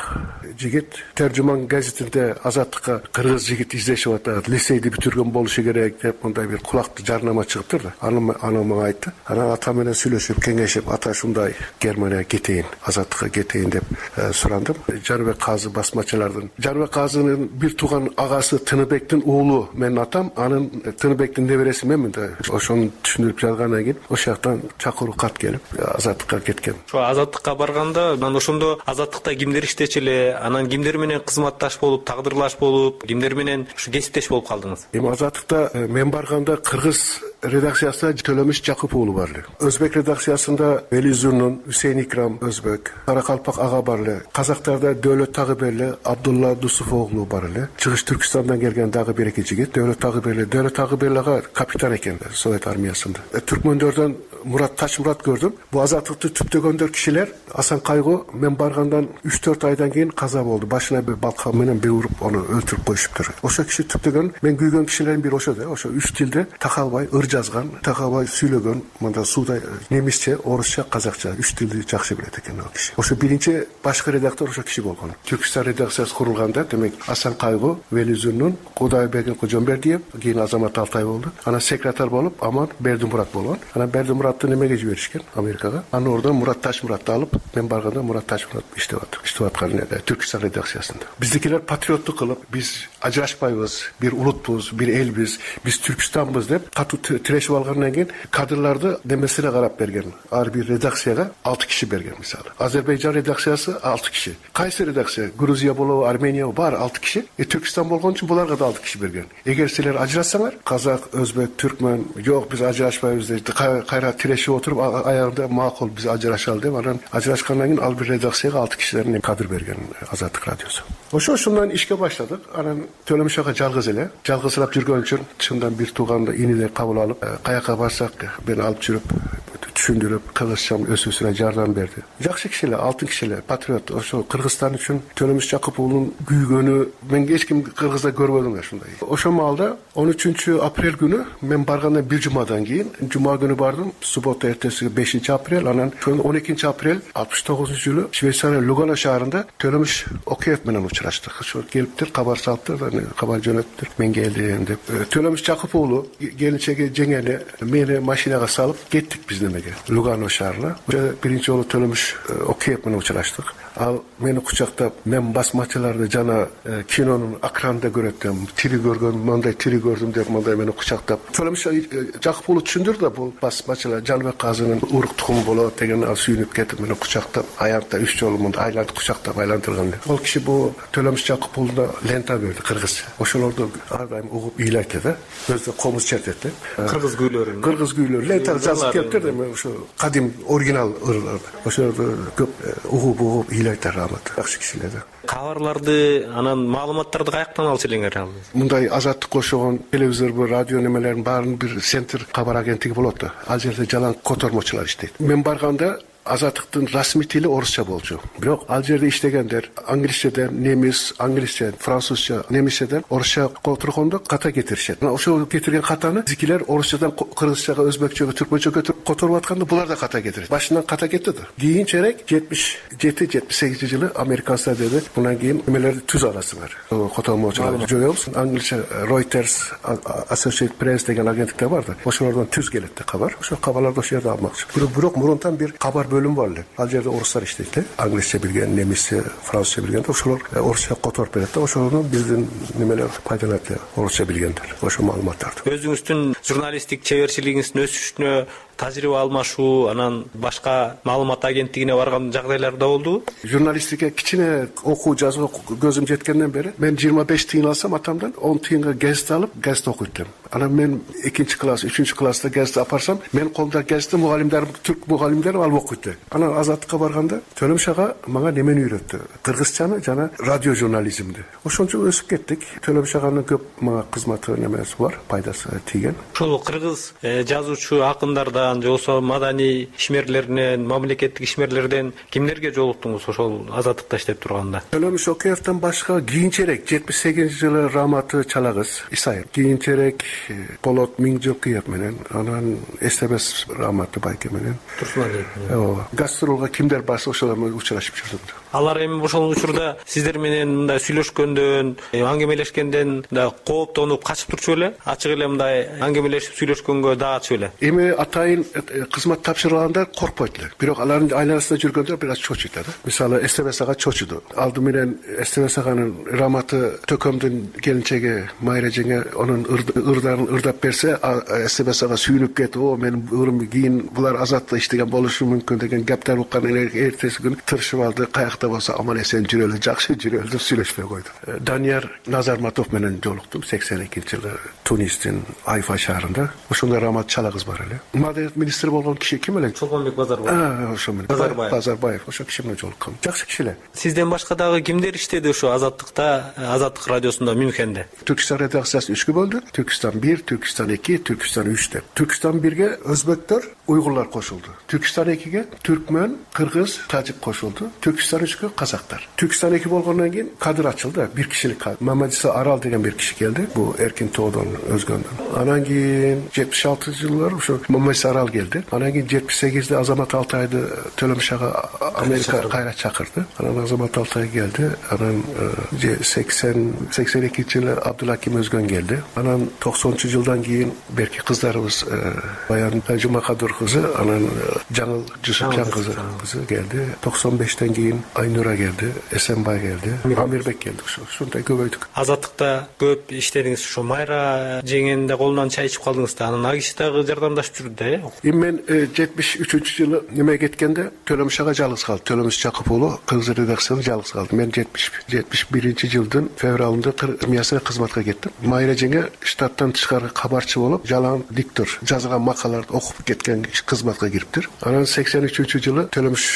жигит Тержуман газетинде Азаттыкка кыргыз жигит издешип атат, лицейди бүтүргөн болушу керек деп мындай бир кулактуу жарнама чыгыптыр да. Аны аны мага айтты. Анан атам менен сүйлөшүп, кеңешип, ата ушундай Германияга кетейин, Азаттыкка кетейин деп сурандым. Жаныбек Казы басмачылардын. Жаныбек Казынын бир тууган агасы Тыныбектин уулу менин атам, анын Тыныбектин небереси менмин да. Ошону түшүндүрүп жазгандан кийин ошол жактан чакыруу кат келип Азаттыкка кеткен. Ошо Азаттыкка барганда, анан ошондо Азаттыкта кимдер иштечү эле, анан кимдер менен кызматташ болуп, тагдырлаш болуп, кимдер менен ушу кесиптеш болуп калдыңыз? Эми Азаттыкта мен барганда кыргыз редакциясында Төлөмүш Жакып уулу бар эле. Өзбек редакциясында Велизурнун, Үсейин Икрам өзбек, Каракалпак ага бар эле. Казактарда Дөөлөт Тагыберли, Абдулла Дусуф оглу бар эле. Чыгыш Түркистандан келген дагы бир эки жигит, Дөөлөт Тагыберли. Дөөлөт Тагыберли ага капитан экен Совет армиясында. Түркмөндөрдөн Мурат Ташмурат көрдүм. Бу Азаттыкты түптөгөндөр кишилер Асан Кайгы мен баргандан үч төрт айдан кийин каза болду. Башына бир балкан менен бир уруп аны өлтүрүп коюшуптур. Ошо киши түптөгөн, мен күйгөн кишилердин бири ошо да. Ошо үч тилде такалбай ыр жазган, такалбай сүйлөгөн, мында суудай немисче, орусча, казакча үч тилди жакшы билет экен ал киши. Ошо биринчи башкы редактор ошо киши болгон. Түркстан редакциясы курулганда, демек Асан Кайгы, Велизурнун, Кудайбек Кожомбердиев, кийин Азамат Алтай болду. Анан секретарь болуп Аман Бердимурат болгон. Анан Бердимуратты немеге жиберишкен? Америкага. Анан ордон Мурат Ташмуратты алып, мен барганда Мурат Ташмурат иштеп атты. Иштеп аткан Түркстан редакциясында. Биздикилер патриоттук кылып, биз ажырашпайбыз, бир улутпуз, бир элбиз, биз Түркстанбыз деп катуу тирешип алгандан кийин кадрларды немесине карап берген. Ар бир редакцияга алты киши берген мисалы. Азербайжан редакциясы алты киши. Кайсы редакция? Грузия болобу, Армения бар алты киши. Э Түркстан болгон үчүн буларга да алты киши берген. Эгер силер ажырашсаңар, казак, өзбек, түркмөн, жок биз ажырашпайбыз деп кайра тирешип отуруп, аягында макул биз ажырашалы деп, анан ажырашкандан кийин ал бир редакцияга алты кишилердин кадр берген Азаттык радиосу. Ошо ошондон ишке баштадык. Анан Төлөмүш ага жалгыз эле, жалгызсырап жүргөн үчүн чындан бир тууганды инидей кабыл алып, каяка барсак мени алып жүрүп, түшүндүрүп, кыргызчам өсүүсүнө жардам берди. Жакшы киши эле, алтын киши эле, патриот. Ошо Кыргызстан үчүн Төлөмүш Жакып уулунун күйгөнү мен эч ким Кыргызда көрбөдүм ушундай. Ошол маалда он үчүнчү апрель күнү мен баргандан бир жумадан кийин, жума күнү бардым, суббота эртеси бешинчи апрель, анан он экинчи апрель алтымыш тогузунчу жылы Швейцария Лугано шаарында Төлөмүш Океев менен учураштык. Ошо келиптир, кабар салыптыр, кабар жөнөттүр. Мен келдим деп. Төлөмүш Жакып уулу келинчеги жеңени мени машинага салып кеттик биз немеге. Лугано шаарына. Биринчи жолу Төлөмүш Океев менен учураштык. Ал мени кучактап, мен басмачыларды жана кинонун экранында көрөтөм, тири көргөн, мындай тири көрдүм деп мындай мени кучактап. Төлөмүш Жакып уулу түшүндүр да, бул басмачылар Жаныбек Казынын урук тукуму болот деген ал сүйүнүп кетип мени кучактап, аянтта үч жолу мындай айлантып кучактап айлантырган. Ал киши бул Төлөмүш Жакып уулуна лента берди кыргызча. Ошолорду ар дайым угуп ыйлайт да, өзү комуз чертет да. Кыргыз күүлөрүн. Кыргыз күүлөр лента жазып келиптир да, ошо кадим оригинал ырлар. Ошолорду көп угуп угуп рамат жакшы кишилер да. Кабарларды, анан маалыматтарды каяктан алчу элеңер? Мындай Азаттыкка окшогон телевизор, радио немелердин баарын бир центр кабар агенттиги болот да. Ал жерде жалаң котормочулар иштейт. Мен барганда Азаттыктын расмий тили орусча болчу. Бирок ал жерде иштегендер англисчеден, немис, англисче, французча, немисчеден орусча которгондо ката кетиришет. Ошол кетирген катаны зикилер орусчадан кыргызчага, өзбекчеге, түркмөнчөгө которуп атканда булар да ката кетирет. Башынан ката кетти да. Кийинчерээк жетимиш жети жетимиш сегизинчи жылы американцдар деди, мындан кийин эмелерди түз аласыңар. Котормочулар жоебуз. Англисче Reuters, Associated Press деген агенттиктер бар да. Ошолордон түз келет да кабар. Ошол кабарларды ошол жерде алмакчы. Бирок мурунтан бир кабар бөлүм бар эле. Ал жерде орустар иштейт, англисче билген, немисче, французча билген, ошолор орусча которуп берет да. Ошолордун биздин немелер пайдаланат, орусча билгендер. Ошо маалыматтарды. Өзүңүздүн журналисттик чеберчилигиңиздин өсүшүнө тажрыйба алмашуу, анан башка маалымат агенттигине барган жагдайлар да болдубу? Журналистикке кичине окуу жазууга көзүм жеткенден бери мен жыйырма беш тыйын алсам атамдан он тыйынга гезит алып, гезит окуйт элем. Анан мен экинчи класс, үчүнчү класста гезит апарсам, мен колумда гезитти мугалимдерим, түрк мугалимдерим алып окуйт эле. Анан Азаттыкка барганда Төлөмүш ага мага немени үйрөттү? Кыргызчаны жана радио журнализмди. Ошончо өсүп кеттик. Төлөмүш аганын көп мага кызматы немеси бар, пайдасы тийген. Ошол кыргыз жазуучу акындарда тармагынан же болбосо маданий ишмерлеринен, мамлекеттик ишмерлерден кимдерге жолуктуңуз ошол азаттыкта иштеп турганда? Төлөмүш Шокеевден башка кийинчерээк жетимиш сегизинчи жылы Раматы Чалагыз Исаев, кийинчерээк Болот Миңжокуев менен, анан Эстебес Раматы Байке менен Турсуналиев менен. Ооба. Гастролго кимдер барса ошолор менен учурашып жүрдүм. Алар эми ошол учурда сиздер менен мындай сүйлөшкөндөн, аңгемелешкенден да кооптонуп качып турчу беле? Ачык эле мындай аңгемелешип сүйлөшкөнгө дагачу беле? Эми атайын кызмат тапшырганда коркпойт эле. Бирок алардын айланасында жүргөндө бир аз чочуйт да. Мисалы Эстебес ага чочуду. Алды менен Эстебес аганын Раматы Төкөмдүн келинчеги Майра жеңе анын ырдарын ырдап берсе, Эстебес ага сүйүнүп кетип, "О, менин ырым кийин булар азаттыкта иштеген болушу мүмкүн" деген гептер уккан эртеси күнү тырышып алды. Каякта болсо аман эсен жүрөлү, жакшы жүрөлү деп сүйлөшпөй койду. Данияр Назарматов менен жолуктум сексен экинчи жылы Тунистин Айфа шаарында. Ошондо Рамат Чалагыз бар эле. Маданият министри болгон киши ким эле? Чолпонбек Базарбаев. Ошо менен. Базарбаев. Базарбаев. Ошо киши менен жолуккам. Жакшы киши эле. Сизден башка дагы кимдер иштеди ошо Азаттыкта, Азаттык радиосунда Мюнхенде? Түркистан редакциясы үчкө бөлдү. Түркистан бир, Түркистан эки, Түркистан үч деп. Түркистан бирге өзбектер, уйгурлар кошулду. Түркистан экиге түркмөн, кыргыз, тажик кошулду. Түркистан үчкө казактар. Түркистан эки болгондон кийин кадыр ачылды. Бир кишилик кадыр. Мамадиса Арал деген бир киши келди. Бул Эркин Тоодон өзгөндөн. Анан кийин жетимиш алтынчы жылдары ошо Мамадиса Арал келди. Анан кийин жетимиш сегизде Азамат Алтайды Төлөмүш ага Америка кайра чакырды. Анан Азамат Алтай келди. Анан сексен сексен экинчи жылы Абдулаким Өзгөн келди. Анан токсонунчу жылдан кийин берки кыздарыбыз Баян Жумакадыр кызы, анан Жаңыл Жусупжан кызы келди. токсон бештен кийин Айнура келди, Эсенбай келди, Амирбек келди. Ушундай көбөйдүк. Азаттыкта көп иштедиңиз. Ошо Майра жеңенин да колунан чай ичип калдыңыз да. Анан агиши дагы жардамдашып жүрдү да, э? Эми мен жетимиш үчүнчү жылы неме кеткенде Төлөмүш ага жалгыз калды. Төлөмүш Жакыпуулу кыргыз редакциясында жалгыз калды. Мен жетимиш биринчи жылдын февралында армиясына кызматка кеттим. Майра жеңе штаттан тышкары кабарчы болуп, жалаң диктор жазган макалаларды окуп кеткен кызматка кириптир. Анан сексен үчүнчү жылы Төлөмүш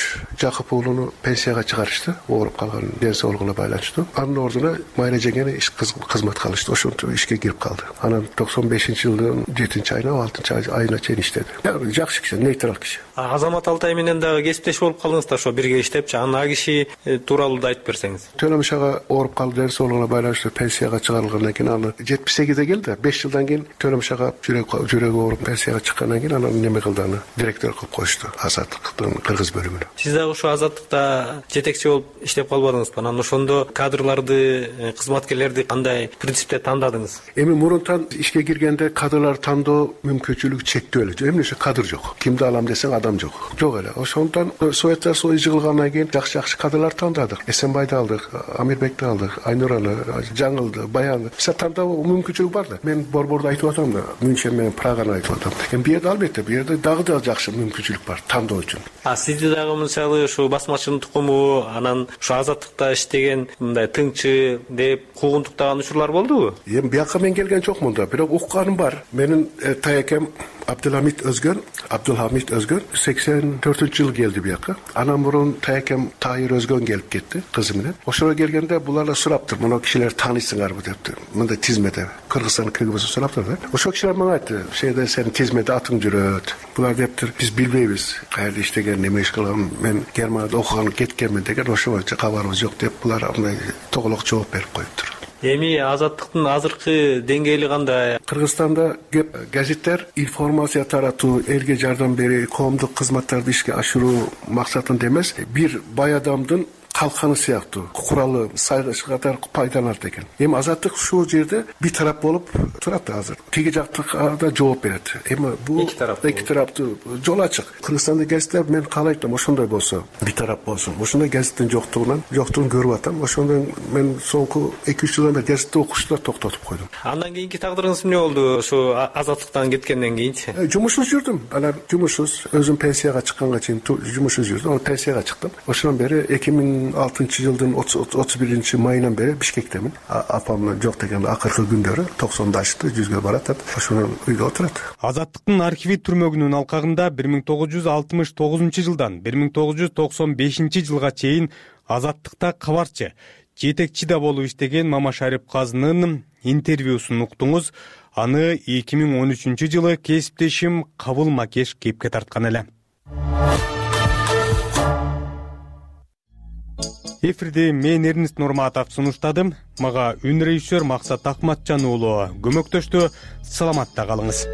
Жакыпуулуну пенсияга чыгарышты, ооруп калган ден соолугуна байланыштуу. Анын ордуна Майра жеңени иш кызматка алышты. Ошентип ишке кирип калды. Анан токсон бешинчи жылдын жетинчи айына, алтынчы айына чейин иштеди. Жакшы киши, нейтрал киши. Азамат Алтай менен дагы кесиптеш болуп калдыңыз да, ошо бирге иштепчи. Анан а киши тууралуу да айтып берсеңиз. Төлөмүш ага ооруп калды, ден соолугуна байланыштуу пенсияга чыгарылгандан кийин аны жетимиш сегизде келди. беш жылдан кийин Төлөмүш ага жүрөгү ооруп пенсияга чыккандан кийин анан неме кылды, аны директор кылып коюшту Азаттыктын кыргыз бөлүмүнө. Сиз дагы ошо Азаттыкта жетекчи болуп иштеп калбадыңызбы? Анан ошондо кадрларды, кызматкерлерди кандай принципте тандадыңыз? Эми мурунтан ишке киргенде кадрлар тандоо мүмкүнчүлүгү чектүү эле. Эмне ошо кадр жок. Кимди алам десең адам жок. Жок эле. Ошондон Советтер Союзу жыгылгандан кийин жакшы-жакшы кадрлар тандадык. Эсенбайды алдык, Амирбекти алдык, Айнураны, Жаңылды, Баянды. Биз тандоо мүмкүнчүлүк бар да. Мен борбордо айтып атам да, Мюнхен менен Праганы айтып атам. Эми бу жерде албетте, бу жерде дагы да жакшы мүмкүнчүлүк бар тандоо үчүн. А сизди дагы мисалы ушу басмачынын тукуму, анан ушу Азаттыкта иштеген мындай тыңчы деп куугунтуктаган учурлар болдубу? Эми бияка мен келген жокмун да, бирок укканым бар. Менин таякем Абдулхамид Өзгөн, Абдулхамид Өзгөн сексен төртүнчү жылы келди бияка. Анан мурун таякем Тайыр Өзгөн келип кетти кызы менен. Ошого келгенде булар сураптыр, мына кишилер тааныйсыңарбы депти. Мындай тизмеде Кыргызстан кыргызы сураптыр да. Ошол кишилер мага айтты, "Шеде сенин тизмеде атың жүрөт." Булар дептир, "Биз билбейбиз каерде иштеген, неме иш кылган, мен Германияда окуган кеткенмин" деген, ошо боюнча кабарыбыз жок деп булар андай тоголок жооп берип коюптур. Эми Азаттыктын азыркы деңгээли кандай? Кыргызстанда газеттер информация таратуу, элге жардам берүү, коомдук кызматтарды ишке ашыруу максатында эмес, бир бай адамдын калканы сыяктуу куралы катар пайдаланат экен. Эми Азаттык ушул жерде бир тарап болуп турат азыр. Тиги жактыга да жооп берет. Эми бул эки тараптуу жол ачык. Кыргызстанда газеттер мен каалайт, ошондой болсо, бир тарап болсун. Ошондой газеттин жоктугунан, жоктугун көрүп атам. Ошондон мен соңку эки үч жылдан бери газетти окушту да токтотуп койдум. Андан кийинки тагдырыңыз эмне болду? Ошо Азаттыктан кеткенден кийинчи? Жумушсуз жүрдүм. Анан жумушсуз, өзүм пенсияга чыкканга чейин жумушсуз жүрдүм. Анан пенсияга чыктым. Ошондон бери эки миң алтынчы жылдын отуз биринчи майынан бери Бишкектемин. Апам жок деген акыркы күндөрү токсондо ашты, жүзгө барат, ошонун үйдө отурат. Азаттыктын архиви түрмөгүнүн алкагында бир миң тогуз жүз алтымыш тогузунчу жылдан бир миң тогуз жүз токсон бешинчи жылга чейин Азаттыкта кабарчы, жетекчи да болуп иштеген Мамашарип Казынын интервьюсун уктуңуз. Аны эки миң он үчүнчү жылы кесиптешим Кабыл Макеш кепке тарткан эле. Эфирде мен Эрнест Нурматов сунуштадым. Мага үн режиссер Максат Акматжан уулу көмөктөштү. Саламатта калыңыз.